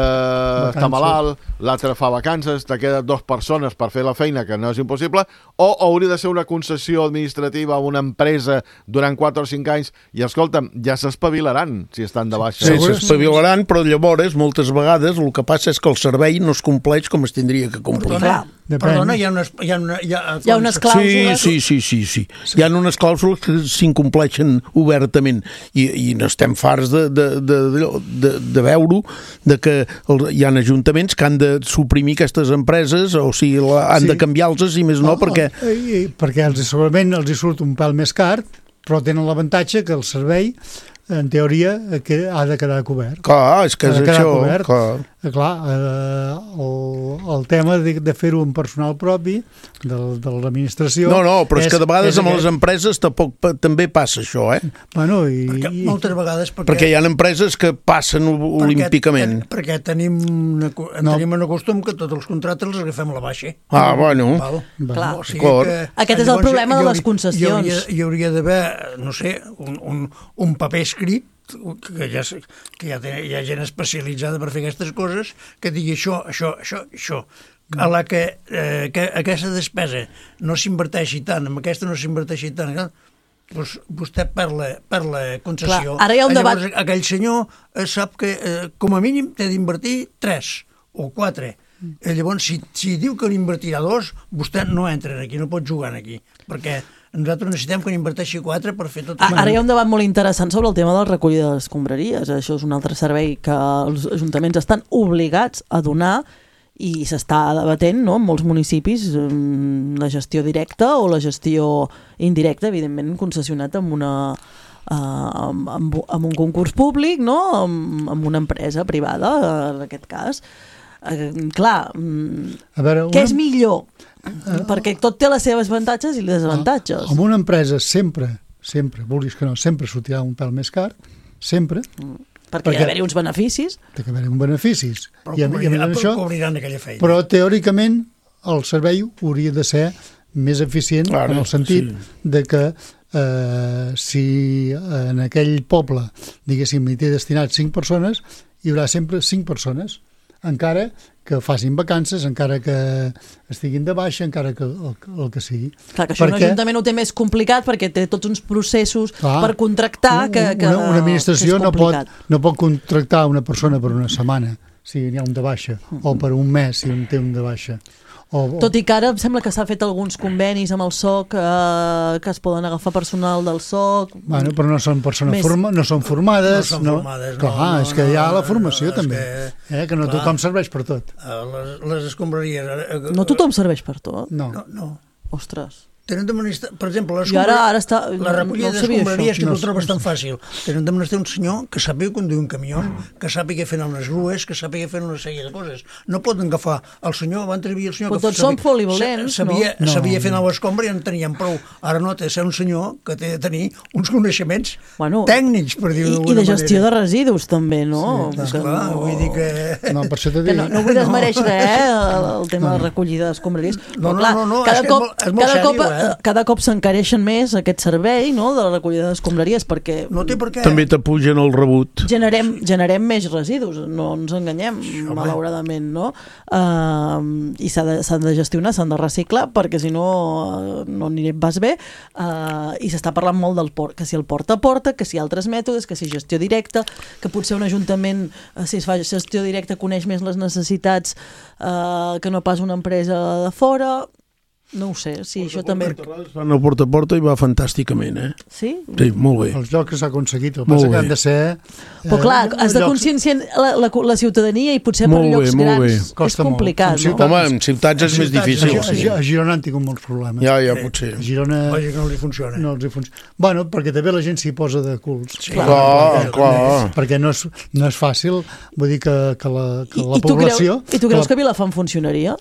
[SPEAKER 6] està malalt, l'altre fa vacances, te queden dues persones per fer la feina, que no és impossible, o hauria de ser una concessió administrativa a una empresa durant quatre o cinc anys, i escolta'm, ja s'espavilaran si estan de baixa.
[SPEAKER 4] Sí, s'espavilaran, però llavors, moltes vegades, el que passa és que el servei no es compleix com es tindria que complir.
[SPEAKER 5] Perdona, perdona hi ha unes, hi ha una, hi ha,
[SPEAKER 2] hi ha unes clàusules...
[SPEAKER 4] Sí, sí, sí, sí, sí. Hi ha unes clàusules que s'incompleixen obertament, i, i n'estem farts de, de, de, de, de veure de que el, hi ha ajuntaments que han de suprimir aquestes empreses, o sigui, la, han sí. de canviar-los i més no,
[SPEAKER 3] oh,
[SPEAKER 4] perquè...
[SPEAKER 3] Oh, i, perquè els, segurament els hi surt un pèl més car, però tenen l'avantatge que el servei, en teoria, que ha de quedar cobert.
[SPEAKER 4] Clar, és que és això.
[SPEAKER 3] Cobert. Clar, clar eh, el, el tema de, de fer-ho amb personal propi de, de l'administració...
[SPEAKER 4] No, no, però és, és que de vegades és amb aquest... les empreses tampoc, també passa això, eh?
[SPEAKER 3] Bueno, i...
[SPEAKER 5] Perquè moltes vegades... Perquè,
[SPEAKER 4] perquè hi ha empreses que passen olímpicament.
[SPEAKER 5] Perquè, perquè tenim, una, no. tenim un costum que tots els contractes els agafem a la baixa.
[SPEAKER 4] Ah, bueno.
[SPEAKER 2] Val. Clar.
[SPEAKER 5] O sigui que,
[SPEAKER 2] aquest és el problema de les concessions.
[SPEAKER 5] Hi hauria, hi hauria d'haver, no sé, un, un, un paper escrit que ja, que ja té, hi ha gent especialitzada per fer aquestes coses, que digui això, això, això, això. A la que, eh, que aquesta despesa no s'inverteixi tant, amb aquesta no s'inverteixi tant, doncs vostè per la, per la concessió.
[SPEAKER 2] Clar, ara hi ha un
[SPEAKER 5] llavors,
[SPEAKER 2] debat...
[SPEAKER 5] aquell senyor eh, sap que eh, com a mínim té d'invertir tres o quatre. Eh, llavors, si, si diu que n'invertirà dos, vostè no entra aquí, no pot jugar aquí, perquè nosaltres necessitem que n'inverteixi quatre per fer tot...
[SPEAKER 2] Ara hi ha un debat molt interessant sobre el tema de la recollida de les escombraries. Això és un altre servei que els ajuntaments estan obligats a donar i s'està debatent, no?, en molts municipis, la gestió directa o la gestió indirecta, evidentment concessionat amb una... Uh, amb, amb, amb un concurs públic, no?, amb, amb una empresa privada, en aquest cas. Uh, clar, a veure, una... què és millor? Uh, perquè tot té les seves avantatges i les desavantatges.
[SPEAKER 3] Amb una empresa sempre, sempre, vulguis que no, sempre sortirà un pèl més car, sempre.
[SPEAKER 2] Mm. Perquè, perquè hi ha d'haver uns beneficis.
[SPEAKER 3] Té que haver uns beneficis.
[SPEAKER 5] Però,
[SPEAKER 3] I,
[SPEAKER 5] cobrir,
[SPEAKER 3] i això,
[SPEAKER 5] cobriran aquella feina.
[SPEAKER 3] Però teòricament el servei hauria de ser més eficient, clar, en el sentit sí. de que eh, si en aquell poble, diguéssim, hi té destinat cinc persones, hi haurà sempre cinc persones, encara que facin vacances, encara que estiguin de baixa, encara que el, el que sigui.
[SPEAKER 2] Clar, que això perquè... un ajuntament ho té més complicat perquè té tots uns processos clar, per contractar que, que,
[SPEAKER 3] una, una administració no pot, no pot contractar una persona per una setmana si n'hi ha un de baixa, uh-huh. o per un mes si en té un de baixa, O, o...
[SPEAKER 2] Tot i que ara em sembla que s'ha fet alguns convenis amb el S O C, eh, que es poden agafar personal del S O C.
[SPEAKER 3] Bueno, però no són persones
[SPEAKER 2] Més...
[SPEAKER 3] forma, no són formades.
[SPEAKER 5] No són formades, no.
[SPEAKER 3] Clar,
[SPEAKER 5] no,
[SPEAKER 3] és que hi ha la formació
[SPEAKER 5] no,
[SPEAKER 3] també,
[SPEAKER 5] que,
[SPEAKER 3] eh, que no
[SPEAKER 5] clar,
[SPEAKER 3] tothom serveix per tot.
[SPEAKER 5] Les, les escombraries... Eh,
[SPEAKER 2] no tothom serveix per tot?
[SPEAKER 3] No.
[SPEAKER 5] No, no.
[SPEAKER 2] Ostres.
[SPEAKER 5] Tenen de menester, per exemple, les
[SPEAKER 2] ara, ara està,
[SPEAKER 5] la recollida
[SPEAKER 2] no
[SPEAKER 5] d'escombraries que
[SPEAKER 3] no,
[SPEAKER 5] tu trobes tan fàcil. Tenen de menester un senyor que sàpiga conduir un camió, que sàpiga fer unes grues, que sàpiga fer una sèrie de coses. No poden agafar el senyor, van treballar el senyor...
[SPEAKER 2] Però tots són polivalents,
[SPEAKER 5] sabia,
[SPEAKER 2] no?
[SPEAKER 5] Sabia fer anar l'escombra i en tenien prou. Ara no, té de ser un senyor que té de tenir uns coneixements bueno, tècnics, per dir-ho d'alguna
[SPEAKER 2] manera. I de gestió
[SPEAKER 5] manera.
[SPEAKER 2] de residus, també, no?
[SPEAKER 5] Sí, esclar, no... vull dir que...
[SPEAKER 3] No, per això t'he dit...
[SPEAKER 2] No, no vull desmereixer res, eh, el tema de recollida d'escombraries.
[SPEAKER 5] No, no, no, no,
[SPEAKER 2] cada
[SPEAKER 5] és
[SPEAKER 2] cop,
[SPEAKER 5] que és molt, és molt
[SPEAKER 2] cada
[SPEAKER 5] sèrio,
[SPEAKER 2] cop,
[SPEAKER 5] eh?
[SPEAKER 2] Cada cop s'encareixen més aquest servei, no?, de la recollida d'escombraries, perquè
[SPEAKER 5] no té per què.
[SPEAKER 4] També t'apugen el rebut.
[SPEAKER 2] Generem, generem més residus, no ens enganyem, sí, malauradament, no? Uh, I s'ha de, s'han de gestionar, s'han de reciclar, perquè si no, no n'hi vas bé, uh, i s'està parlant molt del port, que si el porta a porta, que si altres mètodes, que si gestió directa, que potser un ajuntament, uh, si es fa gestió directa, coneix més les necessitats uh, que no pas una empresa de fora. No ho sé, sí, això també...
[SPEAKER 4] Van a porta a porta i va fantàsticament, eh?
[SPEAKER 2] Sí?
[SPEAKER 4] Sí, molt bé.
[SPEAKER 3] Els llocs que s'ha aconseguit, el que passa que han de ser...
[SPEAKER 2] Però clar, has de conscienciar la, la, la ciutadania i potser per llocs grans és complicat, no?
[SPEAKER 4] Home, en ciutats és més difícil.
[SPEAKER 3] A Girona han tingut molts problemes.
[SPEAKER 4] Ja, ja, potser.
[SPEAKER 3] A Girona...
[SPEAKER 5] Lògic, no els hi funciona.
[SPEAKER 3] No els hi funciona. Bueno, perquè també la gent s'hi posa de culs.
[SPEAKER 4] Sí, clar, clar.
[SPEAKER 3] Perquè no és, no és fàcil, vull dir que, que la, que la
[SPEAKER 2] I, i
[SPEAKER 3] població...
[SPEAKER 2] I tu creus que Vilafant funcionaria?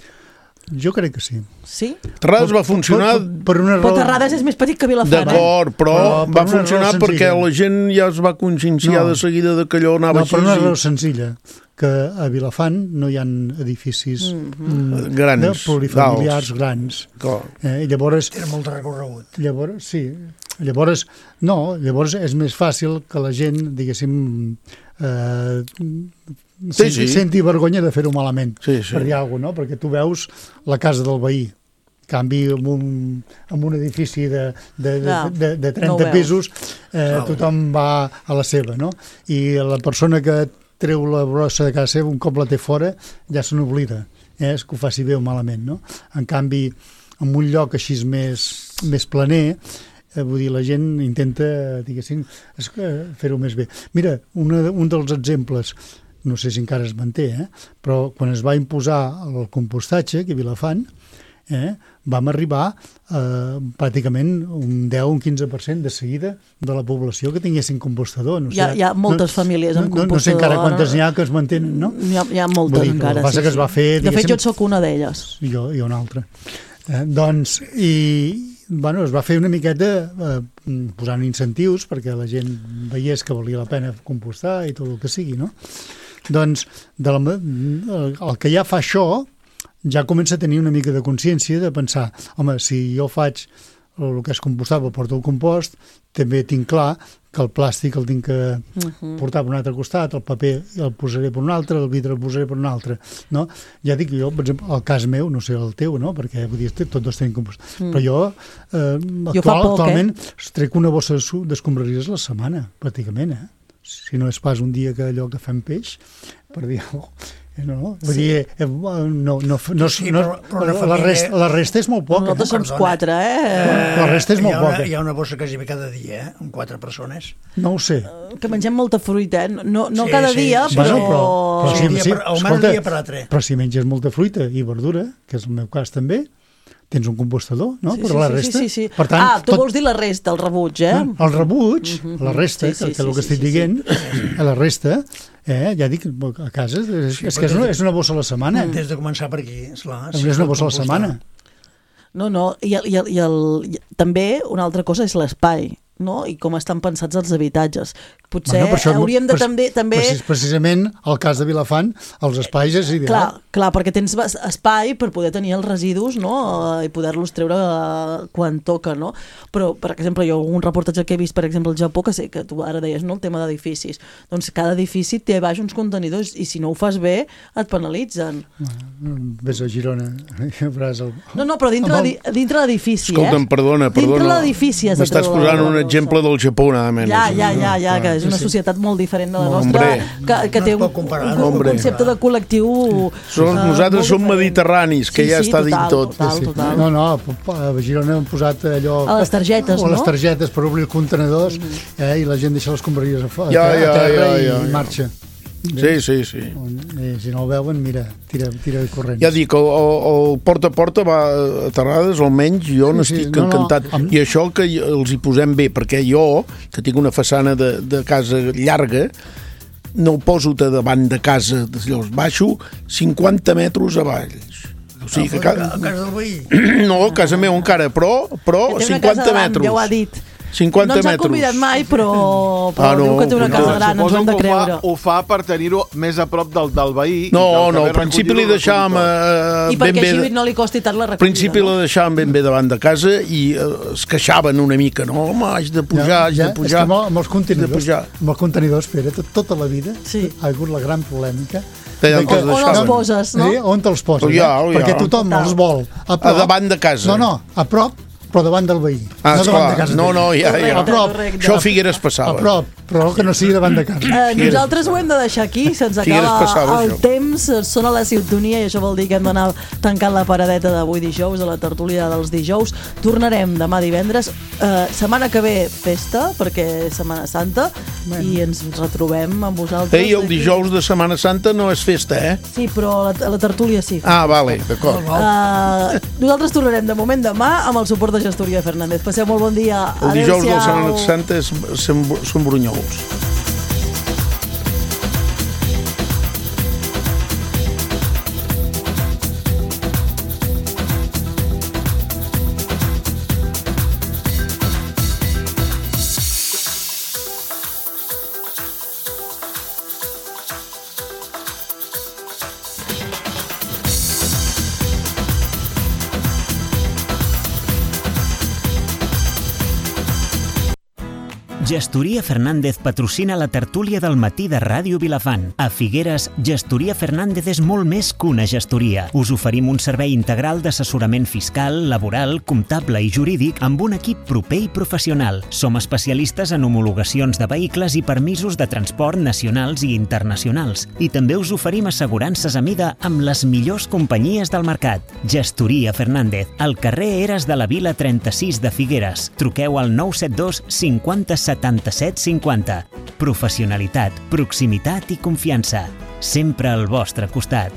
[SPEAKER 3] Jo crec que sí.
[SPEAKER 2] Sí?
[SPEAKER 4] Terrades va funcionar...
[SPEAKER 3] Per, per, per una
[SPEAKER 2] però Terrades és més petit que Vilafant,
[SPEAKER 4] D'acord, però, però va funcionar perquè la gent ja es va conscienciar no. de seguida de que allò anava
[SPEAKER 3] no,
[SPEAKER 4] així.
[SPEAKER 3] No, per una raó senzilla, que a Vilafant no hi ha edificis
[SPEAKER 4] mm-hmm. grans,
[SPEAKER 3] plurifamiliars grans. Eh, i llavors...
[SPEAKER 5] Era molt recorregut.
[SPEAKER 3] Llavors, sí. Llavors, no, llavors és més fàcil que la gent, diguéssim... Eh,
[SPEAKER 4] Sí, sí.
[SPEAKER 3] senti vergonya de fer-ho malament,
[SPEAKER 4] sí, sí.
[SPEAKER 3] per dir alguna cosa, no? Perquè tu veus la casa del veí, canvi amb un, amb un edifici de, de, de, de, de trenta no pisos, eh, tothom va a la seva, no? I la persona que treu la brossa de casa seva, un cop la té fora, ja se n'oblida, eh? És que ho faci bé o malament, no? En canvi, en un lloc així més, més planer, eh, vull dir, la gent intenta, diguéssim, fer-ho més bé. Mira, una, un dels exemples, no sé si encara es manté, eh? Però quan es va imposar el compostatge aquí a Vilafant, eh, vam arribar eh, pràcticament un deu o un quinze per cent de seguida de la població que tinguessin compostador. No sé,
[SPEAKER 2] hi, ha, hi ha moltes
[SPEAKER 3] no,
[SPEAKER 2] famílies amb
[SPEAKER 3] no,
[SPEAKER 2] compostador.
[SPEAKER 3] No sé encara quantes n'hi ha que es mantenen, no?
[SPEAKER 2] Hi ha, hi ha moltes dir, encara.
[SPEAKER 3] El que passa
[SPEAKER 2] sí,
[SPEAKER 3] que es va fer...
[SPEAKER 2] De fet, jo sóc una d'elles.
[SPEAKER 3] Jo i una altra. Eh, doncs, i bueno, es va fer una miqueta eh, posant incentius perquè la gent veiés que valia la pena compostar i tot el que sigui, no? Doncs de la, el que ja fa això ja comença a tenir una mica de consciència de pensar, home, si jo faig el que és compostable, porto el compost, també tinc clar que el plàstic el tinc que uh-huh. portar per un altre costat, el paper el posaré per un altre, el vidre el posaré per un altre, no? Ja dic jo, per exemple, el cas meu, no sé el teu, no? Perquè vull dir, tots dos tenim compost. Mm. Però jo, eh,
[SPEAKER 2] jo
[SPEAKER 3] actual,
[SPEAKER 2] poc,
[SPEAKER 3] actualment
[SPEAKER 2] eh?
[SPEAKER 3] trec una bossa d'escombraries a la setmana, pràcticament, eh? Si no és pas un dia que allò que fem peix, per dir alguna cosa. No, no, vull sí. dir, eh, no, no, no,
[SPEAKER 5] sí,
[SPEAKER 3] no,
[SPEAKER 5] però, però
[SPEAKER 3] la,
[SPEAKER 5] família...
[SPEAKER 3] resta, la resta és molt poca.
[SPEAKER 2] Nosaltres som quatre, eh?
[SPEAKER 3] La resta és molt
[SPEAKER 5] hi una,
[SPEAKER 3] poca.
[SPEAKER 5] Hi ha una bossa quasi cada dia, eh? Amb quatre persones.
[SPEAKER 3] No ho sé.
[SPEAKER 2] Que mengem molta fruita, eh? No, no
[SPEAKER 5] sí,
[SPEAKER 2] cada
[SPEAKER 5] sí,
[SPEAKER 2] dia,
[SPEAKER 5] sí,
[SPEAKER 2] però...
[SPEAKER 3] Bueno, però, però
[SPEAKER 5] sí,
[SPEAKER 3] sí,
[SPEAKER 5] dia
[SPEAKER 3] sí,
[SPEAKER 5] per, almenys
[SPEAKER 3] escolta,
[SPEAKER 5] un dia per altre.
[SPEAKER 3] Però si menges molta fruita i verdura, que és el meu cas també, tens un compostador, no?
[SPEAKER 2] Sí,
[SPEAKER 3] per
[SPEAKER 2] sí,
[SPEAKER 3] la
[SPEAKER 2] sí,
[SPEAKER 3] resta.
[SPEAKER 2] Sí, sí, sí.
[SPEAKER 3] Per tant,
[SPEAKER 2] ah, tu
[SPEAKER 3] tot...
[SPEAKER 2] vols dir la resta, el rebuig, eh?
[SPEAKER 3] El rebuig,
[SPEAKER 2] mm-hmm.
[SPEAKER 3] la resta,
[SPEAKER 2] sí, sí,
[SPEAKER 3] que, que és el que
[SPEAKER 2] sí,
[SPEAKER 3] estic
[SPEAKER 2] sí,
[SPEAKER 3] dient,
[SPEAKER 2] sí.
[SPEAKER 3] la resta, eh, ja dic, a casa, és, sí, és que és una, és una bossa a la setmana.
[SPEAKER 5] Des de començar per aquí, esclar.
[SPEAKER 3] És una bossa a la setmana.
[SPEAKER 2] No, no, i, el, i, el, i, el, i també una altra cosa és l'espai, no? I com estan pensats els habitatges. Potser bueno, això, hauríem de també... també...
[SPEAKER 3] Precis, precisament, el cas de Vilafant, els espais és ideal.
[SPEAKER 2] Clar, clar, perquè tens espai per poder tenir els residus, no? I poder-los treure quan toca, no? Però, per exemple, jo un reportatge que he vist, per exemple, al Japó, que sé que tu ara deies, no?, el tema d'edificis. Doncs cada edifici té baix uns contenidors i si no ho fas bé, et penalitzen.
[SPEAKER 3] Ves a Girona, veuràs el...
[SPEAKER 2] No, no, però dintre, el... dintre l'edifici, eh?
[SPEAKER 4] Escolta'm, perdona, perdona.
[SPEAKER 2] Dintre l'edifici has de
[SPEAKER 4] m'estàs posant un exemple del Japó, nada menys.
[SPEAKER 2] Ja, ja, ja, ja, que és una
[SPEAKER 3] Sí, sí.
[SPEAKER 2] societat molt diferent de la
[SPEAKER 4] Hombre.
[SPEAKER 2] nostra, que, que té un,
[SPEAKER 5] comparar,
[SPEAKER 2] un, un
[SPEAKER 4] Hombre.
[SPEAKER 2] concepte de col·lectiu
[SPEAKER 4] Som,
[SPEAKER 2] eh,
[SPEAKER 4] nosaltres
[SPEAKER 2] molt
[SPEAKER 4] som
[SPEAKER 2] diferent.
[SPEAKER 4] mediterranis, que
[SPEAKER 2] Sí,
[SPEAKER 4] ja
[SPEAKER 2] sí,
[SPEAKER 4] està
[SPEAKER 2] total,
[SPEAKER 4] dit tot.
[SPEAKER 2] total,
[SPEAKER 3] Sí, sí.
[SPEAKER 2] total.
[SPEAKER 3] No, no, a Girona hem posat allò...
[SPEAKER 2] A les targetes,
[SPEAKER 3] o a les
[SPEAKER 2] no?
[SPEAKER 3] targetes per obrir els contenedors, eh, i la gent deixa les escombraries a, a,
[SPEAKER 4] Ja,
[SPEAKER 3] a
[SPEAKER 4] ja,
[SPEAKER 3] terra
[SPEAKER 4] ja,
[SPEAKER 3] i
[SPEAKER 4] ja, ja.
[SPEAKER 3] marxa.
[SPEAKER 4] Sí, sí, sí.
[SPEAKER 3] I si no el veuen, mira, tira, tira corrents.
[SPEAKER 4] Ja dic, el, el, el porta a porta va a Terrades, almenys jo
[SPEAKER 3] Sí,
[SPEAKER 4] n'estic
[SPEAKER 3] sí, no, no,
[SPEAKER 4] encantat.
[SPEAKER 3] amb-
[SPEAKER 4] I això que hi- els hi posem bé, perquè jo, que tinc una façana de, de casa llarga, no ho poso de davant de casa, llavors baixo cinquanta metres avall. O sigui que...
[SPEAKER 5] A
[SPEAKER 4] Ca...
[SPEAKER 5] casa del veí.
[SPEAKER 4] No, a casa meva encara, però, però
[SPEAKER 2] Que té una casa
[SPEAKER 4] cinquanta
[SPEAKER 2] davant,
[SPEAKER 4] metres.
[SPEAKER 2] ja ho ha dit.
[SPEAKER 4] cinquanta
[SPEAKER 2] no ens ha
[SPEAKER 4] metres.
[SPEAKER 2] convidat mai, però, però
[SPEAKER 4] Ah, no,
[SPEAKER 2] diu que té una
[SPEAKER 4] no.
[SPEAKER 2] casa gran, ens ho
[SPEAKER 6] Suposo
[SPEAKER 2] hem de
[SPEAKER 6] que ho
[SPEAKER 2] creure.
[SPEAKER 6] fa, ho fa per tenir-ho més a prop del, del veí. i
[SPEAKER 4] No,
[SPEAKER 6] que el
[SPEAKER 4] no,
[SPEAKER 6] que
[SPEAKER 4] al
[SPEAKER 6] ve
[SPEAKER 4] principi li
[SPEAKER 6] recollir-ho
[SPEAKER 4] deixàvem
[SPEAKER 6] recollir
[SPEAKER 4] eh,
[SPEAKER 2] I
[SPEAKER 4] ben
[SPEAKER 2] perquè
[SPEAKER 4] bé...
[SPEAKER 2] així no li costi tant la
[SPEAKER 4] Al
[SPEAKER 2] recollida.
[SPEAKER 4] principi la deixàvem ben bé davant de casa i eh, es queixaven una mica, no? Home, haig de pujar, haig de
[SPEAKER 3] És
[SPEAKER 4] pujar.
[SPEAKER 3] que amb, amb els
[SPEAKER 4] de
[SPEAKER 3] contenidors,
[SPEAKER 4] pujar.
[SPEAKER 3] amb els contenidors, Pere, tot, tota la vida
[SPEAKER 2] Sí.
[SPEAKER 3] ha hagut la gran polèmica
[SPEAKER 4] De
[SPEAKER 3] de
[SPEAKER 4] on te'ls
[SPEAKER 2] On els
[SPEAKER 4] deixaven.
[SPEAKER 2] poses, no?
[SPEAKER 3] Sí, on te'ls poses,
[SPEAKER 4] Ja,
[SPEAKER 3] eh?
[SPEAKER 4] ja.
[SPEAKER 3] Perquè tothom
[SPEAKER 2] Total.
[SPEAKER 3] els vol a prop.
[SPEAKER 4] A davant de casa.
[SPEAKER 3] No, no, a prop, però davant del veí.
[SPEAKER 4] Ah,
[SPEAKER 3] no davant
[SPEAKER 4] esclar.
[SPEAKER 3] de casa.
[SPEAKER 4] No, no, ja, ja.
[SPEAKER 3] A prop.
[SPEAKER 2] Correcte.
[SPEAKER 4] Això a Figueres
[SPEAKER 3] A
[SPEAKER 4] passava.
[SPEAKER 3] prop, però que no sigui davant de casa.
[SPEAKER 2] Eh, nosaltres ho hem de deixar aquí, se'ns
[SPEAKER 4] Figueres
[SPEAKER 2] acaba
[SPEAKER 4] passava,
[SPEAKER 2] el
[SPEAKER 4] això.
[SPEAKER 2] temps, sona la sintonia i això vol dir que hem d'anar tancant la paradeta d'avui dijous, a la tertúlia dels dijous. Tornarem demà divendres. Eh, setmana que ve festa, perquè és Setmana Santa, i ens retrobem amb vosaltres.
[SPEAKER 4] Ei, el
[SPEAKER 2] aquí.
[SPEAKER 4] dijous de Setmana Santa no és festa, eh?
[SPEAKER 2] Sí, però a la, a la tertúlia sí.
[SPEAKER 4] Ah, vale, d'acord.
[SPEAKER 2] Uh, nosaltres tornarem de moment demà amb el suport de Gestoria Fernández. Passeu molt bon dia.
[SPEAKER 4] El dijous de
[SPEAKER 2] Adéu-siau.
[SPEAKER 4] Setmana Santa és, són, són brunyols.
[SPEAKER 1] Gestoria Fernández patrocina la tertúlia del matí de Ràdio Vilafant. A Figueres, Gestoria Fernández és molt més que una gestoria. Us oferim un servei integral d'assessorament fiscal, laboral, comptable i jurídic amb un equip proper i professional. Som especialistes en homologacions de vehicles i permisos de transport nacionals i internacionals. I també us oferim assegurances a mida amb les millors companyies del mercat. Gestoria Fernández, al carrer Eres de la Vila trenta-sis de Figueres. Truqueu al nou set dos cinquanta setanta-set cinquanta. Professionalitat, proximitat i confiança. Sempre al vostre costat.